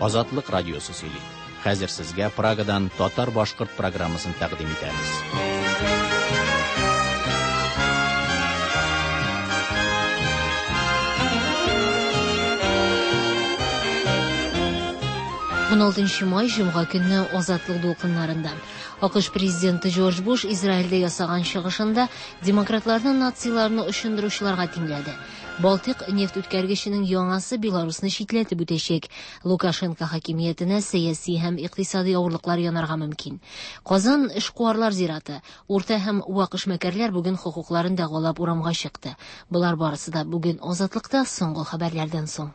Азатлык радиосы сөйли. Хәзер сезгә Прагадан татар-башкорт программасын тәкъдим итәбез. 16 май җомга көнне Азатлык дулкыннарында. АКШ президенты Джордж Буш Израильдә ясаган чыгышында демократларны нациларны очындыручыларга тиңләде. Балтыйк нефть үткәргеченең яңасы Беларусны читләтеп үтәчәк. Лукашенко хакимиятенә сәяси һәм икътисади авырлыклар янарга мөмкин. Казан эшкуарлар зираты. Урта һәм вак эшмәкәрләр бүген хокукларын дәгъвалап урамга чыкты. Болар барысы да бүген Азатлыкта соңгы хәбәрләрдән соң.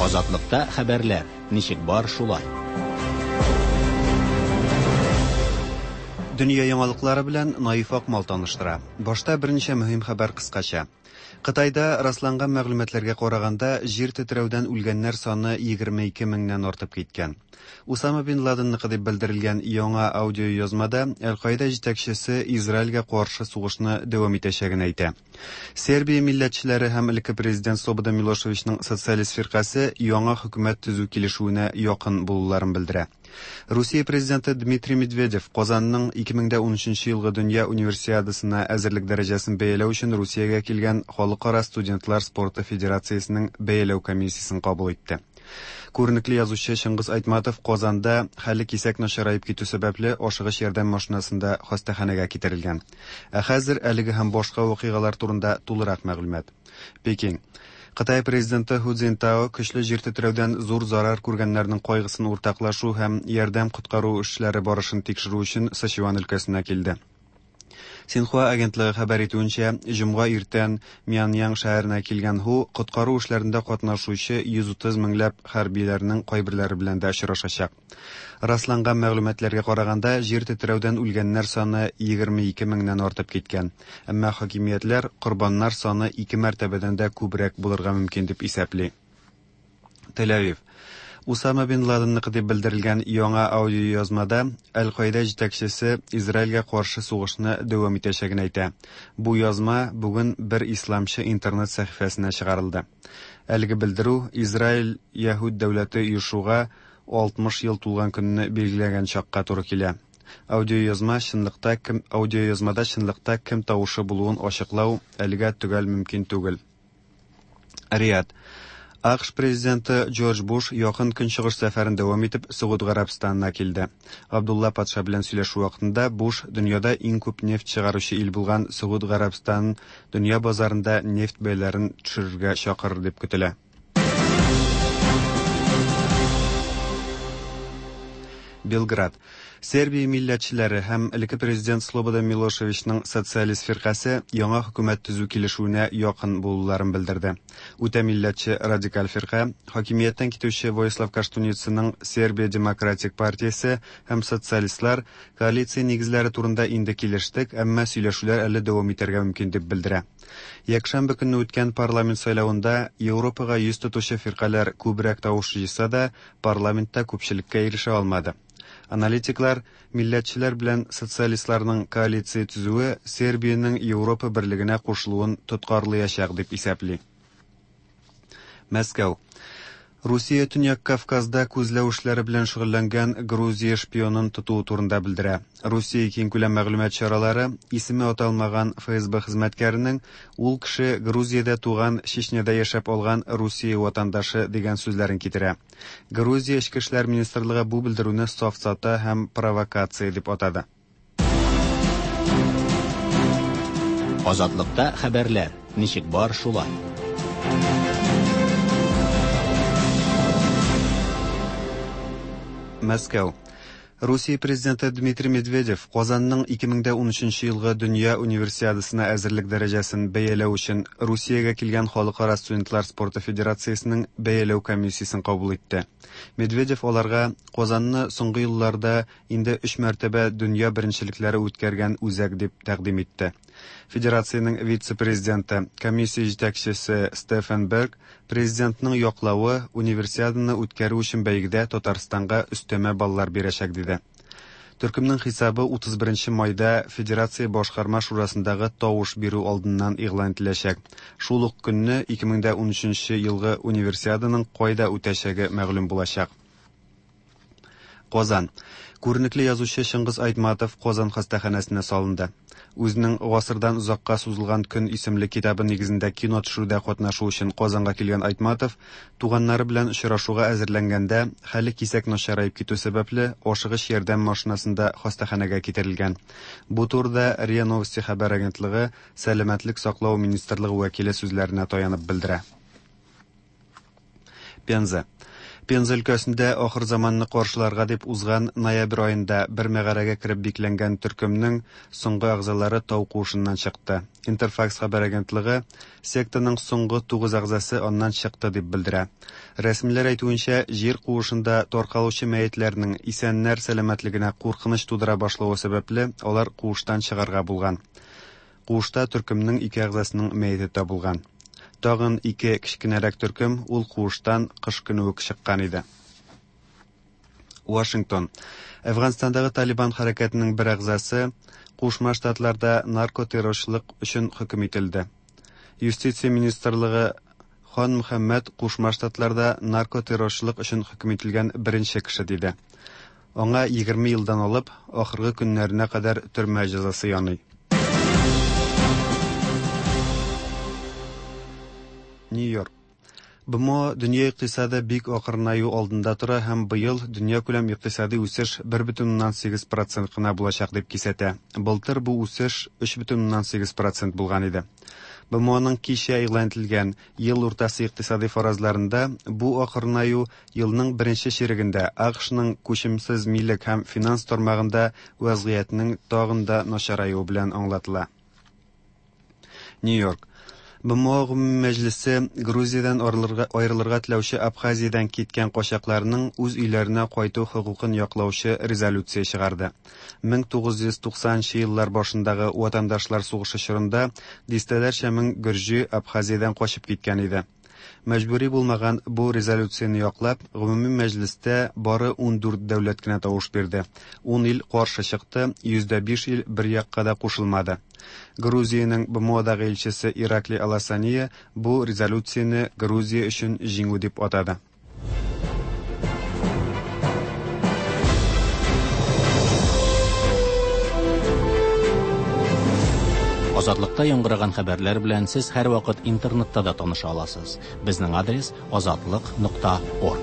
Азатлыкта хәбәрләр. Ничек бар шулай. Дөнья яңалыклары белән Наиф Акмал таныштыра. Башта берничә мөһим хәбәр кыскача. Кытайда расланган мәгълүматларга караганда, җир тетрәүдән үлгәннәр саны 22 меңнән артып киткән. Усама бин Ладенныкы дип белдерелгән яңа аудиоязмада Әл-Каида җитәкчесе Израильгә каршы сугышны дәвам итәчәген әйтә. Сербия милләтчеләре һәм элекке президент Слободан Милошевичның социалист фиркасе яңа хөкүмәт төзү килешүенә якын булуларын белдерә. Русия президенты Дмитрий Медведев Казанның 2013 елгы дөнья универсиадасына әзерлек дәрәҗәсен бәяләү өчен Русиягә килгән Халыкара студентлар спорты федерациясенең бәяләү комиссиясен кабул итте. Күренекле язучы Чыңгыз Айтматов Казанда хәле кисәк начараеп китү сәбәпле ашыгыч ярдәм машинасында хастаханәгә китерелгән. Ә хәзер әлеге һәм башка вакыйгалар турында тулырак мәгълүмат. Пекин. Кытай президенты Ху Цзиньтао көчле җир тетрәүдән зур зарар күргәннәрнең кайгысын уртаклашу һәм ярдәм-коткару эшләре барышын тикшерү өчен Сычуан өлкәсенә килде. Синхуа агентлыгы хәбәр итүенчә, җомга иртән Мяньян шәһәренә килгән Һу коткару эшләрендә катнашучы 130 меңләп хәрбиләрнең кайберләре белән дә очрашачак. Расланган мәгълүматларга караганда, җир тетрәүдән үлгәннәр саны 22 меңнән артып киткән. Әмма хакимиятләр корбаннар саны ике мәртәбәдән дә күбрәк булырга мөмкин дип исәпли. Тель-Авив. Усама бин Ладенныкы дип белдерелгән яңа аудиоязмада Әл-Каида җитәкчесе Израильгә каршы сугышны дәвам итәчәген әйтә. Бу язма бүген бер исламчы интернет сәхифәсенә чыгарылды. Әлеге белдерү Израиль яһүд дәүләте оешуга 60 ел тулган көнне билгеләгән чакка туры килә. Аудиоязма чынлыкта кем аудиоязмада чынлыкта кем тавышы булуын ачыклау әлегә төгәл мөмкин түгел. Риад. АКШ президенты Джордж Буш Якын Көнчыгыш сәфәрен дәвам итеп Согуд Гарәбстанына килде. Габдулла патша белән сөйләшү вакытында Буш дөньяда иң күп нефть чыгаручы ил булган Согуд Гарәбстанын дөнья базарында нефть бәяләрен төшерергә чакырыр дип көтелә. Белград. Сербия милләтчеләре һәм элекке президент Слободан Милошевичның социалист фиркасе яңа хөкүмәт төзү килешүенә якын булуларын белдерде. Үтә милләтче радикаль фирка, хакимияттән китүче Воислав Коштуницаның Сербия демократик партиясе һәм социалистлар коалиция нигезләре турында инде килештек, әмма сөйләшүләр әле дәвам итәргә мөмкин дип белдерә. Якшәмбе көнне үткән парламент сайлавында Европага йөз тотучы фиркаләр күбрәк тавыш җыйса да, парламентта күпчелеккә ирешә алмады. Аналитиклар милләтчеләр белән социалистларның коалиция төзүе Сербиянең Европа берлегенә кушылуын тоткарлыячак дип исәпли. Мәскәү. Русия Төньяк Кавказда күзләү эшләре белән шөгыльләнгән Грузия шпионын тотуы турында белдерә. Русия киңкүләм мәгълүмат чаралары исеме аталмаган ФСБ хезмәткәренең ул кеше Грузиядә туган, Чечняда яшәп алган Русия ватандашы дигән сүзләрен китерә. Грузия Эчке эшләр министрлыгы бу белдерүне сафсата һәм провокация дип атады. Азатлыкта хәбәрләр. Ничек бар шулай. Мәскәү. Русия президенты Дмитрий Медведев Казанның 2013 елгы дөнья универсиадасына әзерлек дәрәҗәсен бәяләү өчен Русиягә килгән Халыкара студентлар спорты федерациясенең бәяләү комиссиясен кабул итте. Медведев аларга Казанны соңгы елларда инде өч мәртәбә дөнья беренчелекләре үткәргән үзәк дип тәкъдим итте. Федерациянең вице-президенты, комиссия җитәкчесе Стефан Берг Президентның яклавы Универсиаданы үткәрү өчен бәйгедә Татарстанга өстәмә баллар бирәчәк, диде. Төркемнең хисабы 31 майда Федерация Башкарма шурасындагы тавыш бирү алдыннан игълан ителәчәк. Шул ук көнне 2013 елгы Универсиаданың кайда үтәчәге мәгълүм булачак. Казан. Күренекле язучы Чыңгыз Айтматов Казан хастаханәсенә салынды. Үзенең Гасырдан озакка сузылган көн исемле китабы нигезендә кино төшерүдә катнашу өчен Казанга килгән Айтматов туганнары белән очрашуга әзерләнгәндә, хәле кисәк начараеп китү сәбәпле, ашыгыч ярдәм машинасында хастаханәгә китерелгән. Бу турыда РИА Новости хәбәр агентлыгы Сәламәтлек саклау министрлыгы вәкиле сүзләренә таянып белдерә. Пенза. Пенза өлкәсендә ахырзаманны каршыларга дип узган ноябрь аенда бер мәгарәгә кереп бикләнгән төркемнең соңгы әгъзалары тау куышыннан чыкты. Интерфакс хәбәр агентлыгы сектаның соңгы тугыз әгъзасы аннан чыкты дип белдерә. Рәсмиләр әйтүенчә, җир куышында таркалучы мәетләрнең исәннәр сәламәтлегенә куркыныч тудыра башлавы сәбәпле, алар куыштан чыгарга булган. Куышта төркемнең ике әгъзасының мәете табылган. Тагын ике кечкенәрәк төркем ул куыштан кыш көне үк чыккан иде. Вашингтон. Әфганстандагы Талибан хәрәкәтенең бер әгъзасы Кушма Штатларда наркотеррорчылык өчен хөкем ителде. Юстиция министрлыгы Хан Мөхәммәд Кушма Штатларда наркотеррорчылык өчен хөкем ителгән беренче кеше диде. Аңа 20 елдан алып ахыргы көннәренә кадәр төрмә җәзасы яный. Нью-Йорк. БМО дөнья икътисады бик акрынаю алдында тора һәм быел дөньякүләм икътисади үсеш 1,8% кына булачак дип кисәтә. Былтыр бу үсеш 3,8% булган иде. БМОның кичә игълан ителгән ел уртасы икътисади фаразларында бу акрынаю елның беренче чирегендә АКШның күчемсез милек һәм финанс тармагында вазгыятьнең тагын да начараюы белән аңлатыла. Нью-Йорк. БМО гомуми мәҗлесе Грузиядән аерылырга теләүче Абхазиядән киткән качакларның үз өйләренә кайту хокукын яклаучы резолюция чыгарды. 1990 еллар башындагы ватандашлар сугышы чорында дистәләрчә мең гөрҗи Абхазиядән качып киткән иде. Мәҗбүри булмаган бу резолюцияне яклап, гомуми мәҗлестә бары 14 дәүләт кенә тавыш бирде. 10 ил каршы чыкты, 5% ил бер якка да кушылмады. Грузиянең БМОдагы илчесе Иракли Аласания бу резолюцияне Грузия өчен җиңү дип атады. Азатлыкта яңгыраган хәбәрләр белән сез һәрвакыт интернетта да таныша аласыз. Безнең адрес azatliq.org.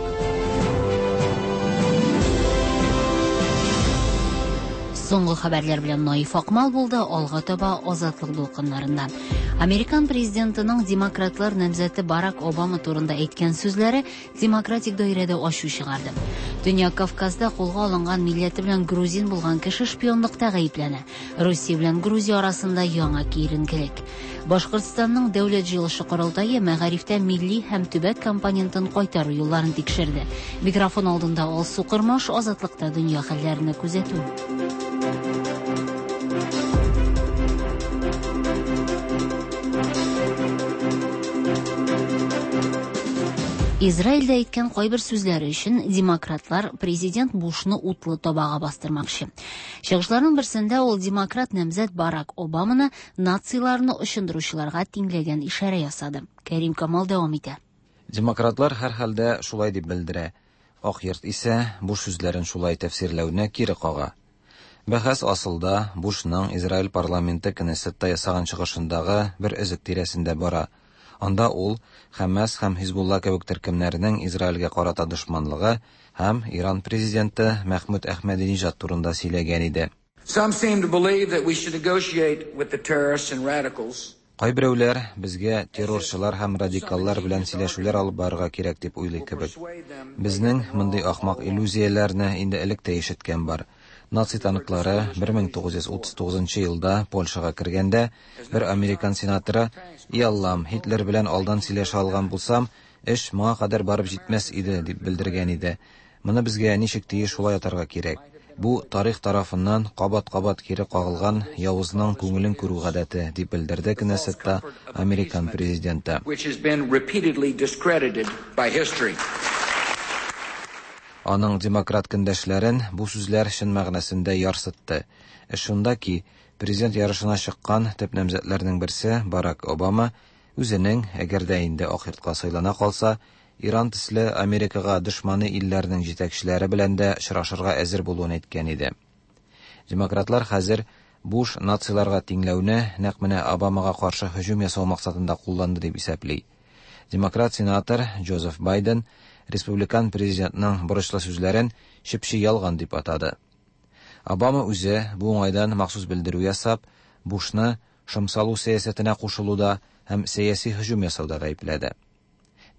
Соңгы хәбәрләр белән Наиф Акмал булды, алга таба Азатлык дулкыннарында. Американ президентының демократлар намзәте Барак Обама турында әйткән сүзләре демократик даирәдә ачу чыгарды. Төньяк Кавказда кулга алынган милләте белән грузин булган кеше шпионлыкта гаепләнә. Русия белән Грузия арасында яңа киеренкелек. Башкортстанның дәүләт җыелышы корылтае мәгарифтә милли һәм төбәк компонентын кайтару юлларын тикшерде. Микрофон алдында Алсу Кырмаш, Азатлыкта дөнья хәлләрен күзәтү. Израильдә әйткән кайбер сүзләре өчен демократлар президент Бушны утлы табага бастырмакчы. Чыгышларның берсендә ул демократ намзәт Барак Обаманы нациларны очындыручыларга тиңләгән ишарә ясады. Кәрим Камал дәвам итә. Демократлар һәрхәлдә шулай дип белдерә. Ак йорт исә Буш сүзләрен шулай тәфсирләүне кире кага. Бәхәс асылда Бушның Израиль парламенты Кнессетта ясаган чыгышындагы бер өзек тирәсендә бара. Анда ул Хәмәс һәм Хизбулла кебек төркемнәренең Израильгә карата дошманлыгы һәм Иран президенты Мәхмүд Әхмәдиниҗад турында сөйләгән иде. Some seem to believe that we should negotiate with the terrorists and radicals. Кайберәүләр безгә террорчылар һәм радикаллар белән сөйләшүләр алып барырга кирәк дип уйлый кебек. Безнең мондый ахмак иллюзияләрне инде элек тә ишеткән бар. Наци танклары 1939 елда Польшага кергәндә, бер американ сенаторы: "И Аллам, Һитлер белән алдан сөйләшә алган булсам, эш моңа кадәр барып җитмәс иде", дип белдергән иде. Моны безгә ничек тиеш шулай атарга кирәк. Бу тарих тарафыннан кабат-кабат кире кагылган явызның күңелен күрү гадәте, дип белдерде Кнессетта американ президенты. Which has been repeatedly discredited by history. Аның демократ көндәшләрен бу сүзләр чын мәгънәсендә ярсытты. Эш шунда ки, президент ярышына чыккан төп намзәтләрнең берсе Барак Обама үзенең, әгәр дә инде Ак йортка сайлана калса, Иран төсле Америкага дошманы илләрнең җитәкчеләре белән дә очрашырга әзер булуын әйткән иде. Демократлар хәзер Буш нациларга тиңләүне нәкъ менә Обамага каршы һөҗүм ясау максатында кулланды дип исәпли. Демократ сенатор Джозеф Байден республикан президентның борычлы сүзләрен чеп-чи ялган дип атады. Обама үзе бу уңайдан махсус белдерү ясап, Бушны шом салу сәясәтенә кушылуда һәм сәяси һөҗүм ясауда гаепләде.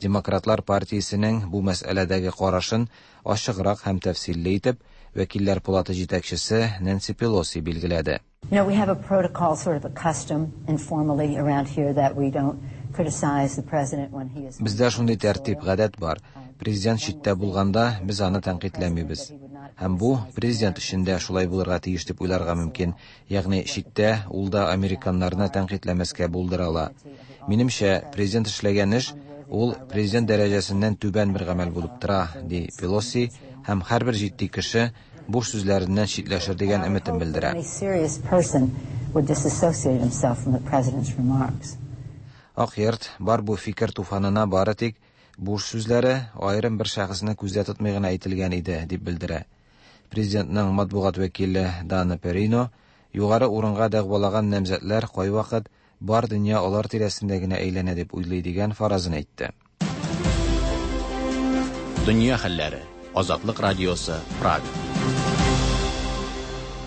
Демократлар партиясенең бу мәсьәләдәге карашын ачыграк һәм тәфсилле итеп Вәкилләр палаты җитәкчесе Нэнси Пелоси билгеләде. We have a protocol, sort of a custom informally around here that we don't criticize the president when he is. Бездә шундый тәртип, гадәт бар. Президент читтә булганда без аны тәнкыйтьләмибез. Һәм бу президент өчен дә шулай булырга тиеш дип уйларга мөмкин. Ягъни читтә ул да американнарны тәнкыйтьләмәскә булдыра ала. Минемчә, президент эшләгән эш ул президент дәрәҗәсеннән түбән бер гамәл булып тора, ди Пелоси, һәм һәрбер җитди кеше Буш сүзләреннән читләшер дигән өметен белдерә. Any serious person would disassociate himself from the president's remarks. Ак йорт бар бу фикер туфанына бары тик Буш сүзләре аерым бер шәхесне күздә тотмый гына әйтелгән иде, дип белдерә. Президентның матбугат вәкиле Дана Перино югары урынга дәгъвалаган намзәтләр кайвакыт бар дөнья алар тирәсендә генә әйләнә дип уйлый дигән фаразын әйтте. Дөнья хәлләре. Азатлык радиосы, Прага.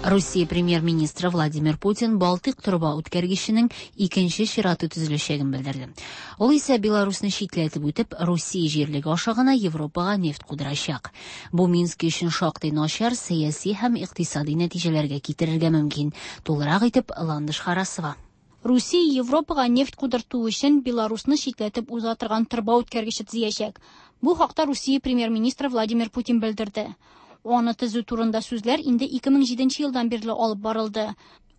Русия премьер-министры Владимир Путин Балтыйк торба үткәргеченең икенче чираты төзеләчәген белдерде. Ул исә Беларусны читләтеп үтеп, Русия җирлеге аша гына Европага нефть кудырачак. Бу Минск өчен шактый начар сәяси һәм икътисади нәтиҗәләргә китерергә мөмкин. Тулырак итеп Ландыш Харасова. Русия Европага нефть кудырту өчен Беларусны читләтеп уза торган торба үткәргече төзиячәк. Бу хакта Русия премьер-министры Владимир Путин белдерде. Аны төзү турында сүзләр инде 2007 елдан бирле алып барылды.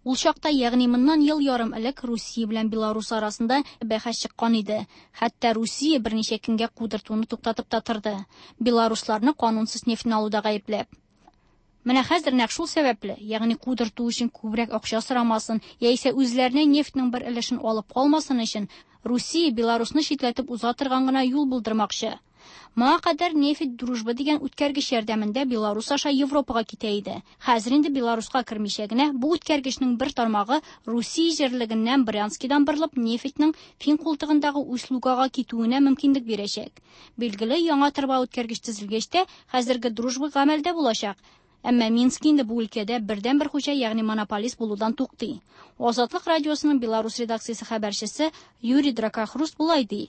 Ул чакта, ягъни моннан ел ярым элек, Русия белән Беларус арасында бәхәс чыккан иде. Хәтта Русия берничә көнгә кудыртуны туктатып та торды. Беларусларны канунсыз нефтьне алуда гаепләп. Менә хәзер нәкъ шул сәбәпле, ягъни кудырту өчен күбрәк акча сорамасын, яисә үзләренә нефтьнең бер өлешен алып калмасын өчен, Русия Беларусны читләтеп уза торган гына юл булдырмакчы. Моңа кадәр нефть Дружба дигән үткәргеч ярдәмендә Беларус аша Европага китә иде. Хәзер инде Беларуска кермичә генә бу үткәргечнең бер тармагы Русия җирлегеннән Брянскидан борылып нефтьнең Фин култыгындагы Усть-Лугага китүенә мөмкинлек бирәчәк. Билгеле, яңа торба үткәргеч төзелгәч тә хәзерге Дружба гамәлдә булачак. Әмма Минск инде бу өлкәдә бердәнбер хуҗа, ягъни монополист булудан туктый. Азатлык радиосының Беларус редакциясе хәбәрчесе Юрий Дракохруст болай ди.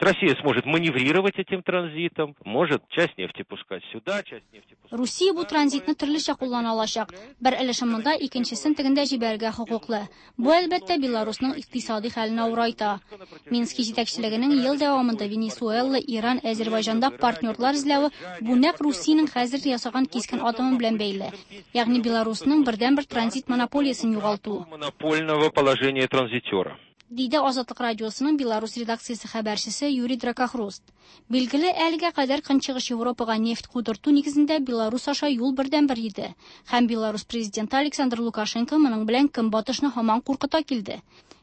Россия сможет маневрировать этим транзитом, может часть нефти пускать сюда, часть нефти пускать Русия бу транзитны төрлечә куллана алачак. Бер өлешен монда, икенчесен тегендә җибәрергә хокуклы. Бу, әлбәттә, Беларусның икътисади хәлен авырайта. Мински җитәкчелегенең ел дәвамында Венесуэла, Иран, Әзербайҗанда партнерлар эзләве бу нәкъ Русиянең хәзер ясаган кискен адымы белән бәйле. Ягъни Беларусның бердәнбер транзит монополиясен югалту. Монопольного положения транзитера. Диде Азатлык радиосының Беларус редакциясе хәбәрчесе Юрий Дракохруст. Билгеле, әлегә кадәр Көнчыгыш Европага нефть кудырту нигезендә Беларус аша юл бердәнбер иде. Һәм Беларус президенты Александр Лукашенко моның белән Көнбатышны һаман куркыта килде.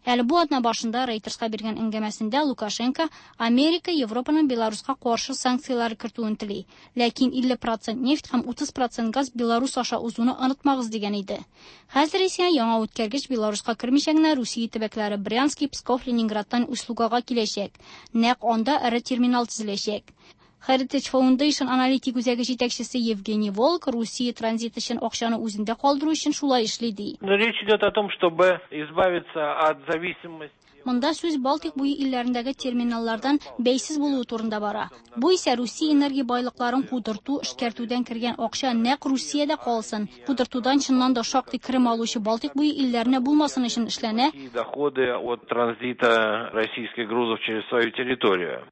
Әле бу атна башында Рейтерска биргән әңгәмәсендә Лукашенко Америка Европаның Беларуска каршы санкцияләр кертүен тели. Ләкин 50% нефть һәм 30% газ Беларус аша узуны онытмагыз дигән иде. Хәзер исә яңа үткәргеч Беларуска кермичә генә Русия төбәкләре Брянск, Псков, Ленинградтан Усть-Лугага киләчәк. Нәкъ анда эре терминал төзеләчәк. Heritage Foundation аналитик үзәге җитәкчесе Евгений Волк Русия транзит өчен акчаны үзендә калдыру өчен шулай эшли ди. Но речь идет о том, чтобы избавиться от зависимости. Монда сүз Балтик буе илләрендәге терминаллардан бәйсез булуы турында бара. Бу исә Русия энергия байлыкларын кудырту, эшкәртүдән кергән акча нәкъ Русиядә калсын, кудыртудан чыннан да шактый керем алучы Балтик буе илләренә булмасын өчен эшләнә. Доходы от транзита российских грузов через свою территорию.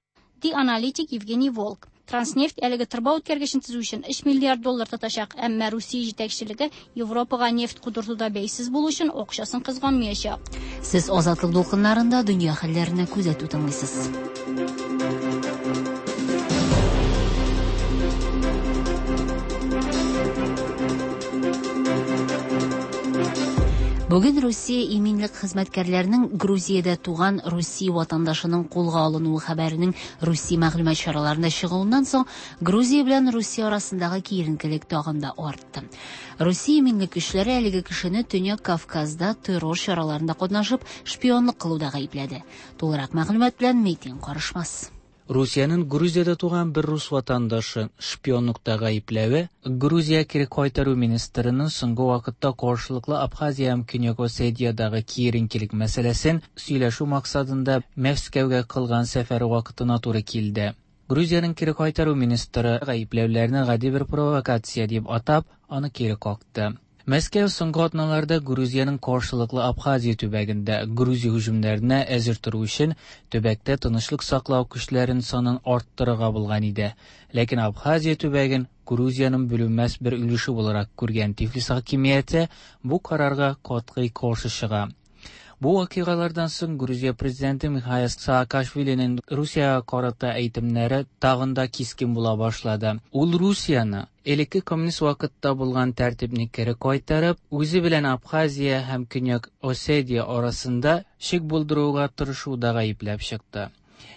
Ди аналитик Евгений Волк. Транснефть әлеге торба үткәргечен төзү өчен 3 миллиард доллар тотачак, әмма Русия җитәкчелеге Европага нефть кудыртуда бәйсез булу өчен акчасын кызганмаячак. Сез Азатлык дулкыннарында дөнья хәлләренә күзәтү тыңлыйсыз. Бүген Русия иминлек хезмәткәрләренең Грузиядә туган Русия ватандашының кулга алынуы хәбәренең Русия мәгълүмат чараларында чыгуыннан соң Грузия белән Русия арасындагы киеренкелек тагын да артты. Русия иминлек көчләре әлеге кешене Төньяк Кавказда террор чараларында катнашып, шпионлык кылуда гаепләде. Тулырак мәгълүмат белән Митин Карышмас. Русиянең Грузиядә туган бер рус ватандашы шпионлыкта гаепләве Грузия кире кайтару министрының соңгы вакытта каршылыклы Абхазия һәм Көньяк Осетиядагы киеренкелек мәсьәләсен сөйләшү максатында Мәскәүгә кылган сәфәре вакытына туры килде. Грузиянең кире кайтару министры гаепләүләрне гади бер провокация дип атап, аны кире какты. Мәскәү соңгы атналарда Грузиянең каршылыклы Абхазия төбәгендә Грузия һөҗүмнәренә әзер тору өчен төбәктә тынычлык саклау көчләрен санын арттырырга булган иде. Ләкин Абхазия төбәген Грузиянең бүленмәс бер өлеше буларак күргән Тифлис хакимияте бу карарга катгый каршы чыга. Бу вакыйгалардан соң Грузия президенты Михаил Саакашвилинең Русиягә карата әйтемнәре тагын да кискен була башлады. Ул Русияне элекке коммунист вакытта булган тәртипне кире кайтарып, үзе белән Абхазия һәм Көньяк Осетия арасында шик булдыруга тырышуда гаепләп чыкты.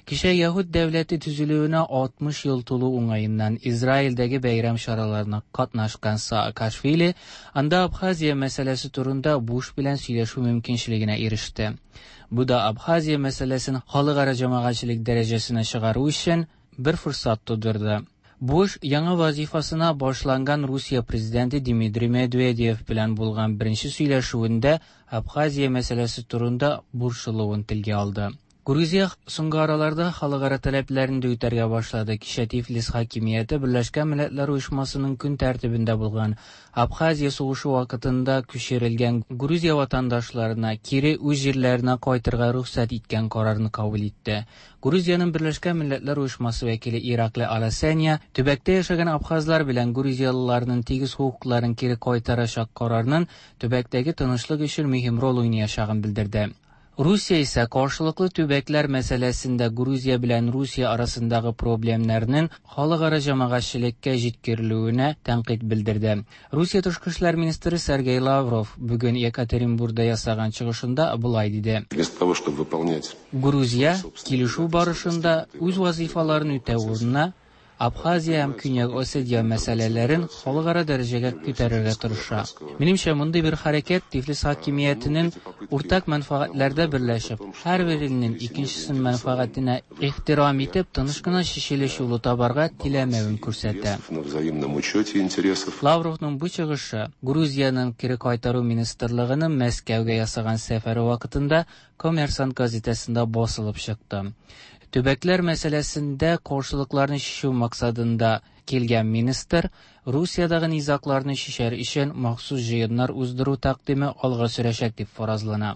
Кичә Яһүд дәүләте төзелүенә 60 ел тулу уңаеннан Израильдәге бәйрәм чараларына катнашкан Саакашвили анда Абхазия мәсьәләсе турында Буш белән сөйләшү мөмкинчелегенә иреште. Бу да Абхазия мәсьәләсен халыкара җәмәгатьчелек дәрәҗәсенә чыгару өчен бер форсат тудырды. Буш яңа вазифасына башланган Русия президенты Дмитрий Медведев белән булган беренче сөйләшүендә Абхазия мәсьәләсе турында борчылуын телгә алды. Грузия соңгы араларда халыкара таләпләрен дә үтәргә башлады. Кичә Тифлис хакимияте Берләшкән Милләтләр Оешмасының көн тәртибендә булган Абхазия сугышы вакытында күчерелгән Грузия ватандашларына кире үз җирләренә кайтырга рөхсәт иткән карарны кабул итте. Грузиянең Берләшкән Милләтләр Оешмасы вәкиле Ираклий Аласания төбәктә яшәгән абхазлар белән грузиялыларның тигез хокукларын кире кайтарачак карарның төбәктәге тынычлык өчен мөһим роль уйнаячагын белдерде. Русия исә каршылыклы төбәкләр мәсьәләсендә Грузия белән Русия арасындагы проблемнарның халыкара җәмәгатьчелеккә җиткерелүенә тәнкыйть белдерде. Русия тышкы эшләр министры Сергей Лавров бүген Екатеринбургда ясаган чыгышында болай диде. Вместо того, чтобы выполнять Грузия килешү барышында үз вазифаларын үтәү урынына Абхазия һәм Көньяк Осетия мәсьәләләрен халыкара дәрәҗәгә күтәрергә тырыша. Минемчә, мондый бер хәрәкәт Тифлис хакимиятенең уртак мәнфәгатьләрдә берләшеп, һәрбер илнең икенчесенең мәнфәгатенә ихтирам итеп, тыныч кына чишелеш юлы табарга теләмәвен күрсәтә. На взаимном учете интересов. Лавровның бу чыгышы Грузиянең кире кайтару министрлыгының Мәскәүгә ясаган сәфәре вакытында Коммерсант газетасында басылып чыкты. Төбәкләр мәсьәләсендә каршылыкларны чишү максатында килгән министр Русиядәге низагларны чишәр өчен махсус җыеннар уздыру тәкъдиме алга сөрәчәк дип фаразлана.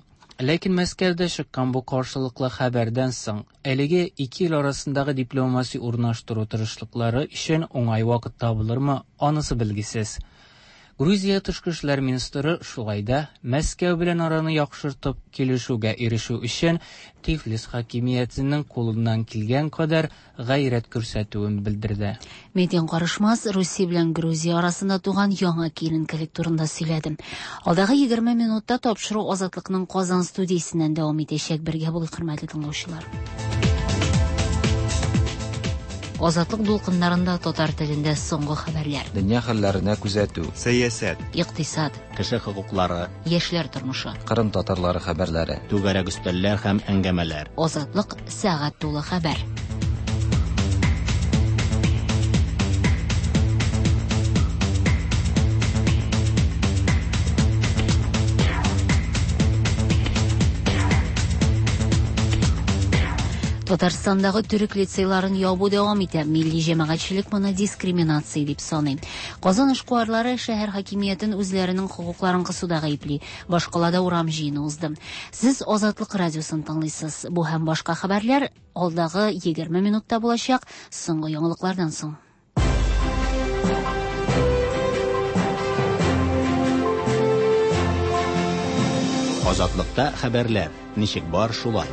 Ләкин Мәскәүдә чыккан бу каршылыклы хәбәрдән соң әлеге ике ил арасындагы дипломатия урнаштыру тырышлыклары өчен уңай вакыт табылырмы, анысы билгесез. Грузия тышкы эшләр министры шулай да Мәскәү белән араны яхшыртып килешүгә ирешү өчен Тифлис хакимиятенең кулыннан килгән кадәр гайрәт күрсәтүен белдерде. Метин Карышмас Русия белән Грузия арасында туган яңа киеренкелек турында сөйләде. Алдагы 20 минутта тапшыру Азатлыкның Казан студиясеннән дәвам итәчәк. Бергә булыйк, хөрмәтле тыңлаучылар. Азатлык дулкыннарында татар телендә соңгы хәбәрләр. Дөнья хәлләренә күзәтү. Сәясәт. Икътисад. Кеше хокуклары. Яшьләр тормышы. Кырым татарлары хәбәрләре. Түгәрәк өстәлләр һәм әңгәмәләр. Азатлык сәгать тулы хәбәр. Татарстандагы төрек лицейларын ябу дәвам итә. Милли җәмәгатьчелек моны дискриминация дип саный. Казан эшкуарлары шәһәр хакимиятен үзләренең хокукларын кысуда гаепли. Башкалада урам җыены узды. Сез Азатлык радиосын тыңлыйсыз. Бу һәм башка хәбәрләр алдагы 20 минутта булачак. Соңгы яңалыклардан соң. Азатлыкта хәбәрләр. Ничек бар шулай.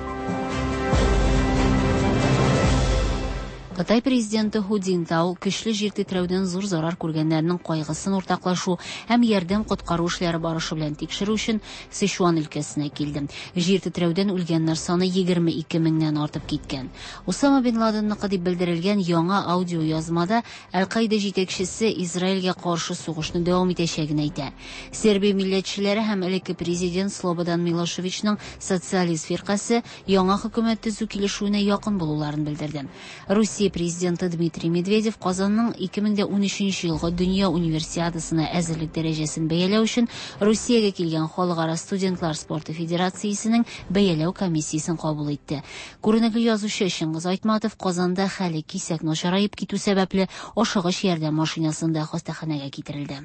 Кытай президенты Ху Цзиньтао көчле җир тетрәүдән зур зарар күргәннәрнең кайгысын уртаклашу һәм ярдәм-коткару эшләре барышы белән тикшерү өчен Сычуан өлкәсенә килде. Җир тетрәүдән үлгәннәр саны 22 меңнән артып киткән. Усама бин Ладенныкы дип белдерелгән яңа аудиоязмада Әл-Каида җитәкчесе Израильгә каршы сугышны дәвам итәчәген әйтә. Сербия милләтчеләре һәм элекке президент Слободан Милошевичның социалист фиркасе яңа хөкүмәт төзү килешүенә якын булуларын белдерде. Русия президенты Дмитрий Медведев Казанның 2013 елгы Дөнья Универсиадасына әзерлек дәрәҗәсен бәяләү өчен Русиягә килгән Халыкара студентлар спорты федерациясенең бәяләү комиссиясен кабул итте. Күренекле язучы Чыңгыз Айтматов Казанда хәле кисәк начараеп китү сәбәпле, ашыгыч ярдәм машинасында хастаханәгә китерелде.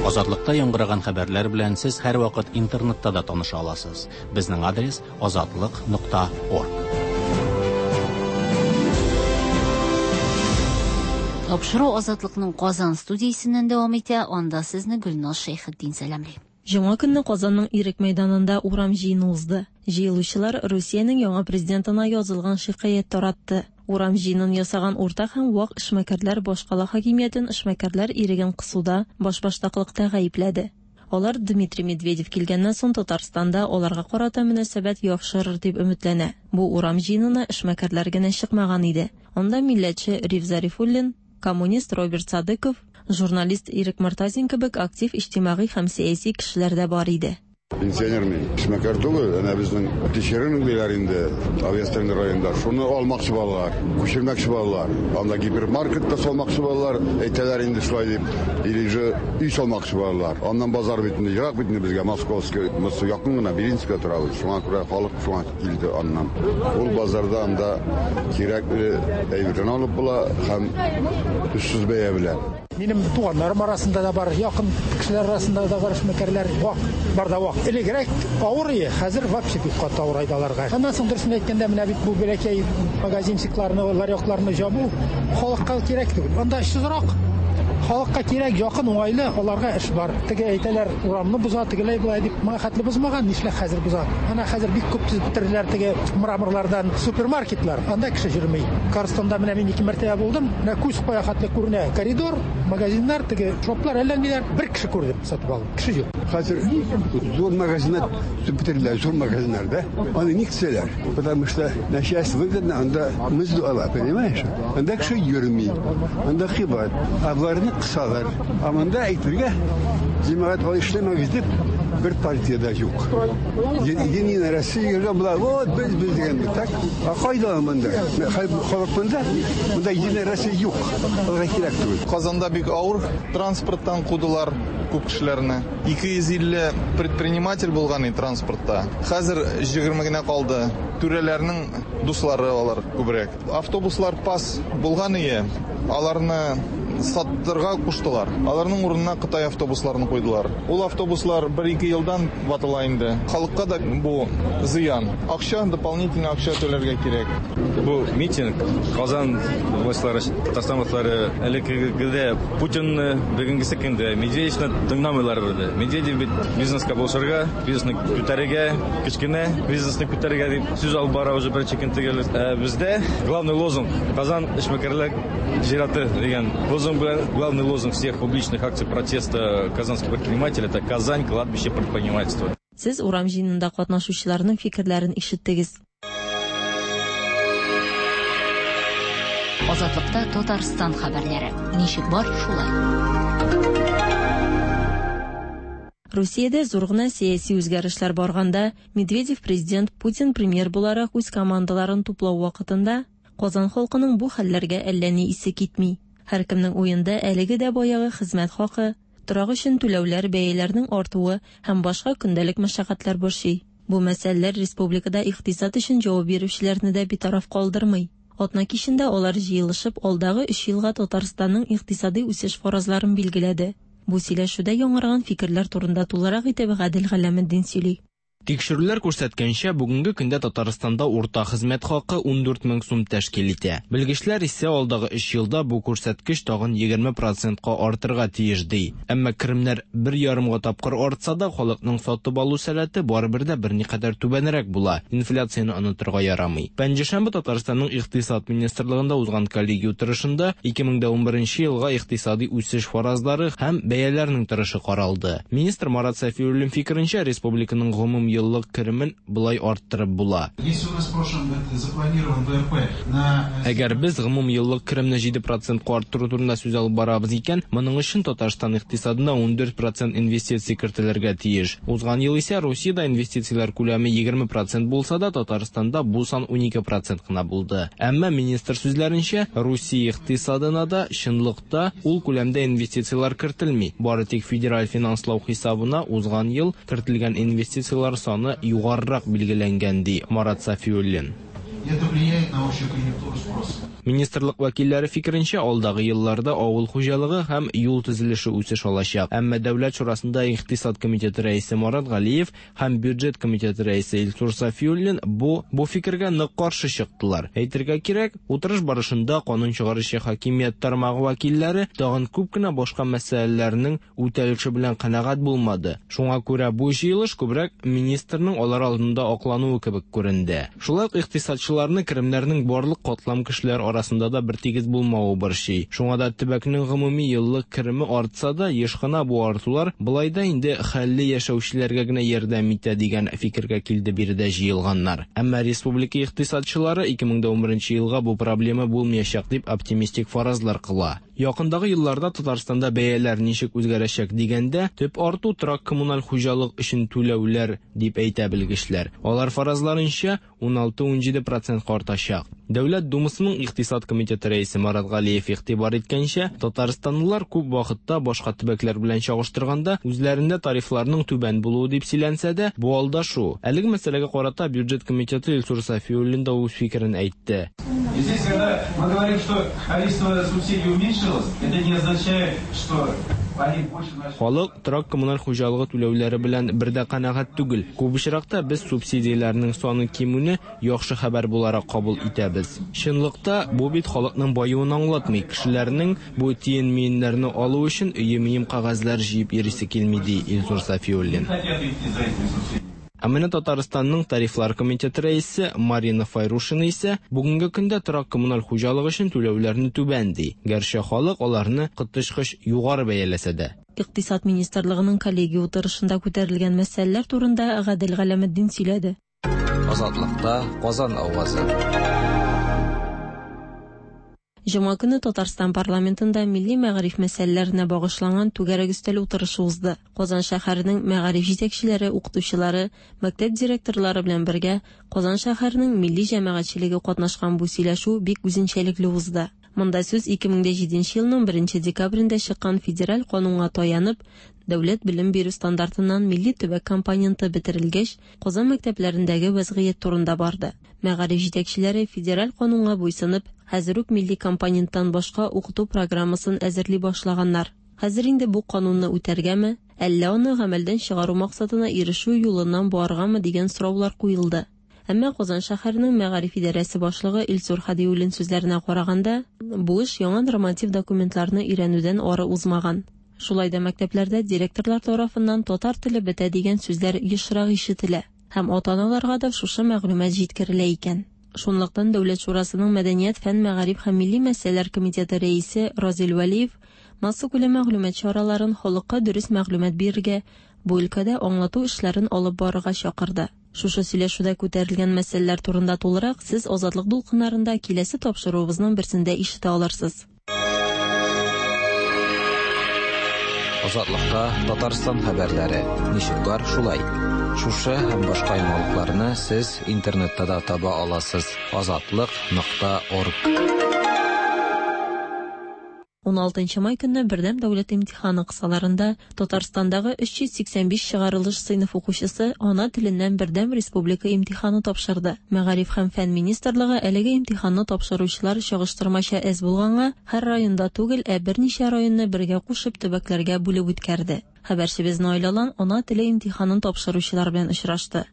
Азатлыкта яңгыраган хәбәрләр белән сез һәрвакыт интернетта да таныша аласыз. Безнең адрес азатлык нокта орг. Тапшыру Азатлыкның Казан студиясеннән дәвам итә, анда сезне Гөлназ Шәйхетдин сәламли. Җомга көнне Казанның Ирек мәйданында урам җыены узды. Җыелучылар Русиянең яңа президентына язылган шикаять таратты. Урам җыенын ясаган урта һәм вак эшмәкәрләр башкала хакимиятен эшмәкәрләр иреген кысуда, башбаштаклыкта гаепләде. Алар Дмитрий Медведев килгәннән соң Татарстанда аларга карата мөнәсәбәт яхшырыр дип өметләнә. Бу урам җыенына эшмәкәрләр генә чыкмаган иде. Анда милләтче Риф Зарифуллин, коммунист Роберт Садыков, журналист Ирек Мортазин кебек актив иҗтимагый һәм сәяси кешеләр дә бар иде. Пенсионер мин. Эшмәкәр түгел, әнә безнең Тишерин диләр инде, Авиастроение районында. Шуны алмакчы булалар, күчермәкче булалар. Анда гипермаркет та салмакчы булалар, әйтәләр инде шулай дип. Или же өй салмакчы булалар. Аннан базар бит инде ерак бит инде безгә, Московский, Москва якын гына, Белинскийда торабыз. Шуңа күрә халык шуңа килде аннан. Ул базарда анда кирәкле әйберне алып була һәм очсыз бәя белән. Минем туганнарым арасында да бар, якын кешеләр арасында да бар эшмәкәрләр, вак, бар да вак. Элегрәк авыр ие, хәзер вообще бик каты авырайды аларга. Аннан соң дөресен әйткәндә, менә бит бу бәләкәй магазинчикларны, ларёкларны җабу халыкка кирәк түгел. Анда эшсезрак. Халыкка кирәк, якын, уңайлы, аларга эш бар. Теге әйтәләр, урамны боза, тегеләй болай дип, моңа хәтле бозмаган, нишләп хәзер боза? Ана хәзер бик күп төзеп бетерделәр теге мраморлардан супермаркетлар. Анда кеше йөрми. Карстонда менә мин ике мәртәбә булдым. Менә күз кая хәтле күренә коридор, магазиннар, теге шоплар, әллә ниләр. Бер кеше күрдем, сатып алдым. Кеше юк. Хәзер зур магазиннар төзеп бетерделәр, зур магазиннар, да? Аны ник төзәләр? Потому что начальство выгодно, анда мызду ала, понимаешь? Анда кеше йөрми, анда кыйбат. Ә боларны кысалар. Ә монда әйтергә, җәмәгать алай эшләмәгез дип, бер партия дә юк. Единая Россия йөргән була, вот без без дигән бит, так? Ә кайда монда? Халык монда, монда Единая Россия юк. Аларга кирәк түгел. Казанда бик авыр транспорттан кудылар күп кешеләрне. 250 предприниматель булган иде транспортта. Хәзер 20 генә калды. Түрәләрнең дуслары алар күбрәк. Автобуслар пас булган ие, аларны саттырга куштылар. Аларның урынына Кытай автобусларын куйдылар. Ул автобуслар бер-ике елдан ватыла инде. Халыкка да бу зыян. Акча, дополнительно акча түләргә кирәк. Бу митинг Казан властьлары, Татарстан властьлары элеккегедә Путинны, бүгенгесе көндә Медведевны тыңламыйлар бирде. Медведев бит бизнеска булышырга, бизнесны күтәрергә, кечкенә бизнесны күтәрергә дип сүз алып бара уже беренче көн төгәл. Ә бездә главный лозунг Казан эшмәкәрләр зираты дигән лозунг белән главный лозунг всех публичных акций протеста казанских предпринимателей это Казань кладбище предпринимательства. Сез урам җыенында катнашучыларның фикерләрен ишеттегез. Азатлыкта Татарстан хәбәрләре. Ничек бар, шулай. Русиядә зур гына сәяси үзгәрешләр барганда, Медведев президент, Путин премьер буларак үз командаларын туплау вакытында, Казан халкының бу хәлләргә әллә ни исе китми. Һәркемнең уенда әлеге дә баягы хезмәт хакы, торак өчен түләүләр, бәяләрнең артуы һәм башка көндәлек мәшәкатьләр борчый. Бу мәсьәләләр республикада икътисад өчен җавап бирүчеләрне дә битараф калдырмый. Атна кичендә алар җыелышып, алдагы өч елга Татарстанның икътисадый үсеш фаразларын билгеләде. Бу сөйләшүдә яңарган фикерләр турында тулырак итеп Гадел Галәметдин сөйли. Тикшерүләр күрсәткәнчә, бүгенге көндә Татарстанда урта хезмәт хакы 14 мең сум тәшкил итә. Белгечләр исә алдагы өч елда бу күрсәткеч тагын 20 процентка артырга тиеш, ди. Әмма керемнәр бер ярымга тапкыр артса да, халыкның сатып алу сәләте барыбер дә берникадәр түбәнрәк була. Инфляцияне онытырга ярамый. Пәнҗешәмбе Татарстанның Икътисад министрлыгында узган коллегия утырышында 2011 елга икътисади үсеш фаразлары һәм бәяләрнең торышы каралды. Министр Марат Сафиуллин фикеренчә, республиканың гомум еллык керемен болай арттырып була. Если у нас в прошлом запланирован ВРП на... Әгәр без гомум еллык керемне 7 процентка арттыру турында сүз алып барабыз икән, моның өчен Татарстан икътисадына 14 процент инвестиция кертелергә тиеш. Узган ел исә Русиядә инвестицияләр күләме 20 процент булса да, Татарстанда бу сан 12 процент кына булды. Әмма министр сүзләренчә, Русия икътисадына да чынлыкта ул күләмдә инвестицияләр кертелми. Бары тик федераль финанслау хисабына узган ел кертелгән инвестицияләр саны югарырак билгеләнгән, ди Марат Сафиуллин. Это влияет на общую конъюнктуру спроса. Министрлык вәкилләре фикеренчә, алдагы елларда авыл хуҗалыгы һәм юл төзелеше үсеш алачак. Әмма Дәүләт шурасында Икътисад комитеты рәисе Марат Галиев һәм бюджет комитеты рәисе Илсур Сафиуллин бу бу фикергә нык каршы чыктылар. Әйтергә кирәк, утырыш барышында канун чыгаручы хакимият тармагы вәкилләре тагын күп кенә башка мәсьәләләрнең үтәлеше белән канәгать булмады. Шуңа күрә бу җыелыш күбрәк министрның алар алдында аклануы кебек күренде. Шулай ук икътисадчыларны керемнәрнең барлык катлам кешеләр арасында да бертигез булмавы борчый. Шуңа да төбәкнең гомуми еллык кереме артса да, еш кына бу артулар болай да инде хәлле яшәүчеләргә генә ярдәм итә дигән фикергә килде биредә җыелганнар. Әмма республика икътисадчылары 2011 елга бу проблема булмаячак дип оптимистик фаразлар кыла. Якындагы елларда Татарстанда бәяләр ничек үзгәрәчәк дигәндә, төп арту торак-коммуналь хуҗалык өчен түләүләр дип әйтә белгечләр. Алар фаразларынча, 16-17 процентка артачак. Дәүләт Думасының икътисад комитеты рәисе Марат Галиев игътибар иткәнчә, татарстанлылар күп вакытта башка төбәкләр белән чагыштырганда үзләрендә тарифларның түбән булуы дип сөйләнсә дә, бу алдашу. Әлеге мәсьәләгә карата бюджет комитеты Илсур Сафиуллин да үз фикерен әйтте. И здесь, когда мы говорим, что количество субсидий уменьшилось, это не означает, что они больше начали... Халык торак-коммуналь хуҗалыгы түләүләре белән бер дә канәгать түгел. Күп очракта без субсидияләрнең саны кимүне яхшы хәбәр буларак кабул итәбез. Чынлыкта бу бит халыкның баюын аңлатмый. Кешеләрнең бу тиен-миеннәрне алу өчен өем-өем кәгазьләр җыеп йөрисе килми, ди Илсур Сафиуллин. Не хотят идти за этими субсидиями. Ә менә Татарстанның тарифлар комитеты рәисе Марина Файрушина исә бүгенге көндә торак-коммуналь хуҗалык өчен түләүләрне түбән ди. Гәрчә халык аларны коточкыч югары бәяләсә дә. Икътисад министрлыгының коллегия утырышында күтәрелгән мәсьәләләр турында Гадел Галәметдин сөйләде. Азатлыкта Казан авазы. Җомга көне Татарстан парламентында милли мәгариф мәсьәләләренә багышланган түгәрәк өстәл утырышы узды. Казан шәһәренең мәгариф җитәкчеләре, укытучылары, мәктәп директорлары белән бергә Казан шәһәренең милли җәмәгатьчелеге катнашкан бу сөйләшү бик үзенчәлекле узды. Монда сүз 2007 елның 1 декабрендә чыккан федераль канунга таянып, дәүләт белем бирү стандартыннан милли төбәк компоненты бетерелгәч, Казан мәктәпләрендәге вәзгыять турында барды. Мәгариф җитәкчеләре федераль канунга буйсынып, хәзер үк милли компоненттан башка укыту программасын әзерли башлаганнар. Хәзер инде бу канунны үтәргәме, әллә аны гамәлдән чыгару максатына ирешү юлыннан барыргамы дигән сораулар куелды. Әмма Казан шәһәренең мәгариф идарәсе башлыгы Илсур Хадиуллин сүзләренә караганда, бу эш яңа норматив документларны өйрәнүдән ары узмаган. Шулай да мәктәпләрдә директорлар тарафыннан татар теле бетә дигән сүзләр ешрак ишетелә һәм ата-аналарга да шушы мәгълүмат җиткерелә икән. Шунлыктан Дәүләт шурасының Мәдәният, фән, мәгариф һәм милли мәсьәләләр комитеты рәисе Разил Вәлиев массакүләм мәгълүмат чараларын халыкка дөрес мәгълүмат бирергә, бу өлкәдә аңлату эшләрен алып барырга чакырды. Шушы сөйләшүдә күтәрелгән мәсьәләләр турында тулырак сез Азатлык дулкыннарында киләсе тапшыруыбызның берсендә ишетә алырсыз. Азатлыкта Татарстан хәбәрләре. Ничек бар, шулай. Шушы һәм башка яңалыкларны сез интернетта да таба аласыз. Азатлык.орг. 16 май көнне бердәм дәүләт имтиханы кысаларында Татарстандагы 385 чыгарылыш сыйныф укучысы ана теленнән бердәм республика имтиханы тапшырды. Мәгариф һәм фән министрлыгы әлеге имтиханны тапшыручылар чагыштырмача әз булганга, һәр районда түгел, ә берничә районны бергә кушып төбәкләргә бүлеп үткәрде. Хәбәрчебез Наил Алан ана теле имтиханын тапшыручылар белән очрашты.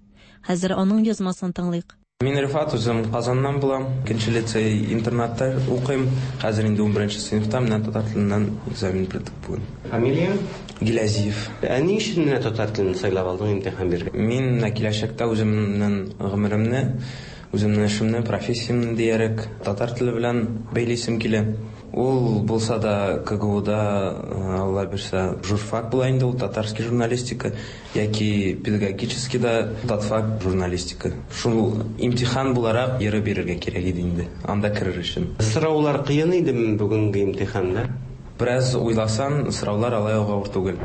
Хәзер аның язмасын тыңлыйк. Мин Рифат, үзем Казаннан булам. Икенче лицей интернатта укыйм. Хәзер инде 11 сыйныфта, менә татар теленнән экзамен бирдек бүген. Фамилияң? Гиләзиев. Ә ни өчен менә татар телен сайлап алдың имтихан бирергә? Мин менә киләчәктә үземнең гомеремне, үземнең эшемне, профессиямне диярек татар теле белән бәйлисем килә. Ул булса да КГУда, Алла бирсә, журфак була инде ул, татарский журналистика, яки педагогический да татфак журналистика. Шул имтихан буларак йөреп бирергә кирәк иде инде, анда керер өчен. Сораулар кыен идеме бүгенге имтиханда? Бераз уйласаң, сораулар алай ук авыр түгел.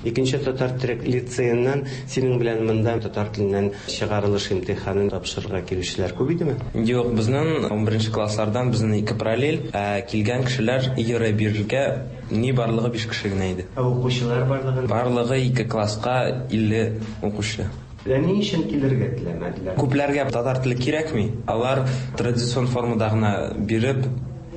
Икенче татар төрек лицееннан синең белән монда татар теленнән чыгарылыш имтиханын тапшырырга килүчеләр күп идеме? Юк, безнең 11 класслардан безнең ике параллель, ә килгән кешеләр йөреп бирергә ни барлыгы 5 кеше генә иде. Ә укучылар барлыгы? Барлыгы ике класска 50 укучы. Ә ни өчен килергә теләмәделәр? Күпләргә татар теле кирәкми. Алар традицион формада гына биреп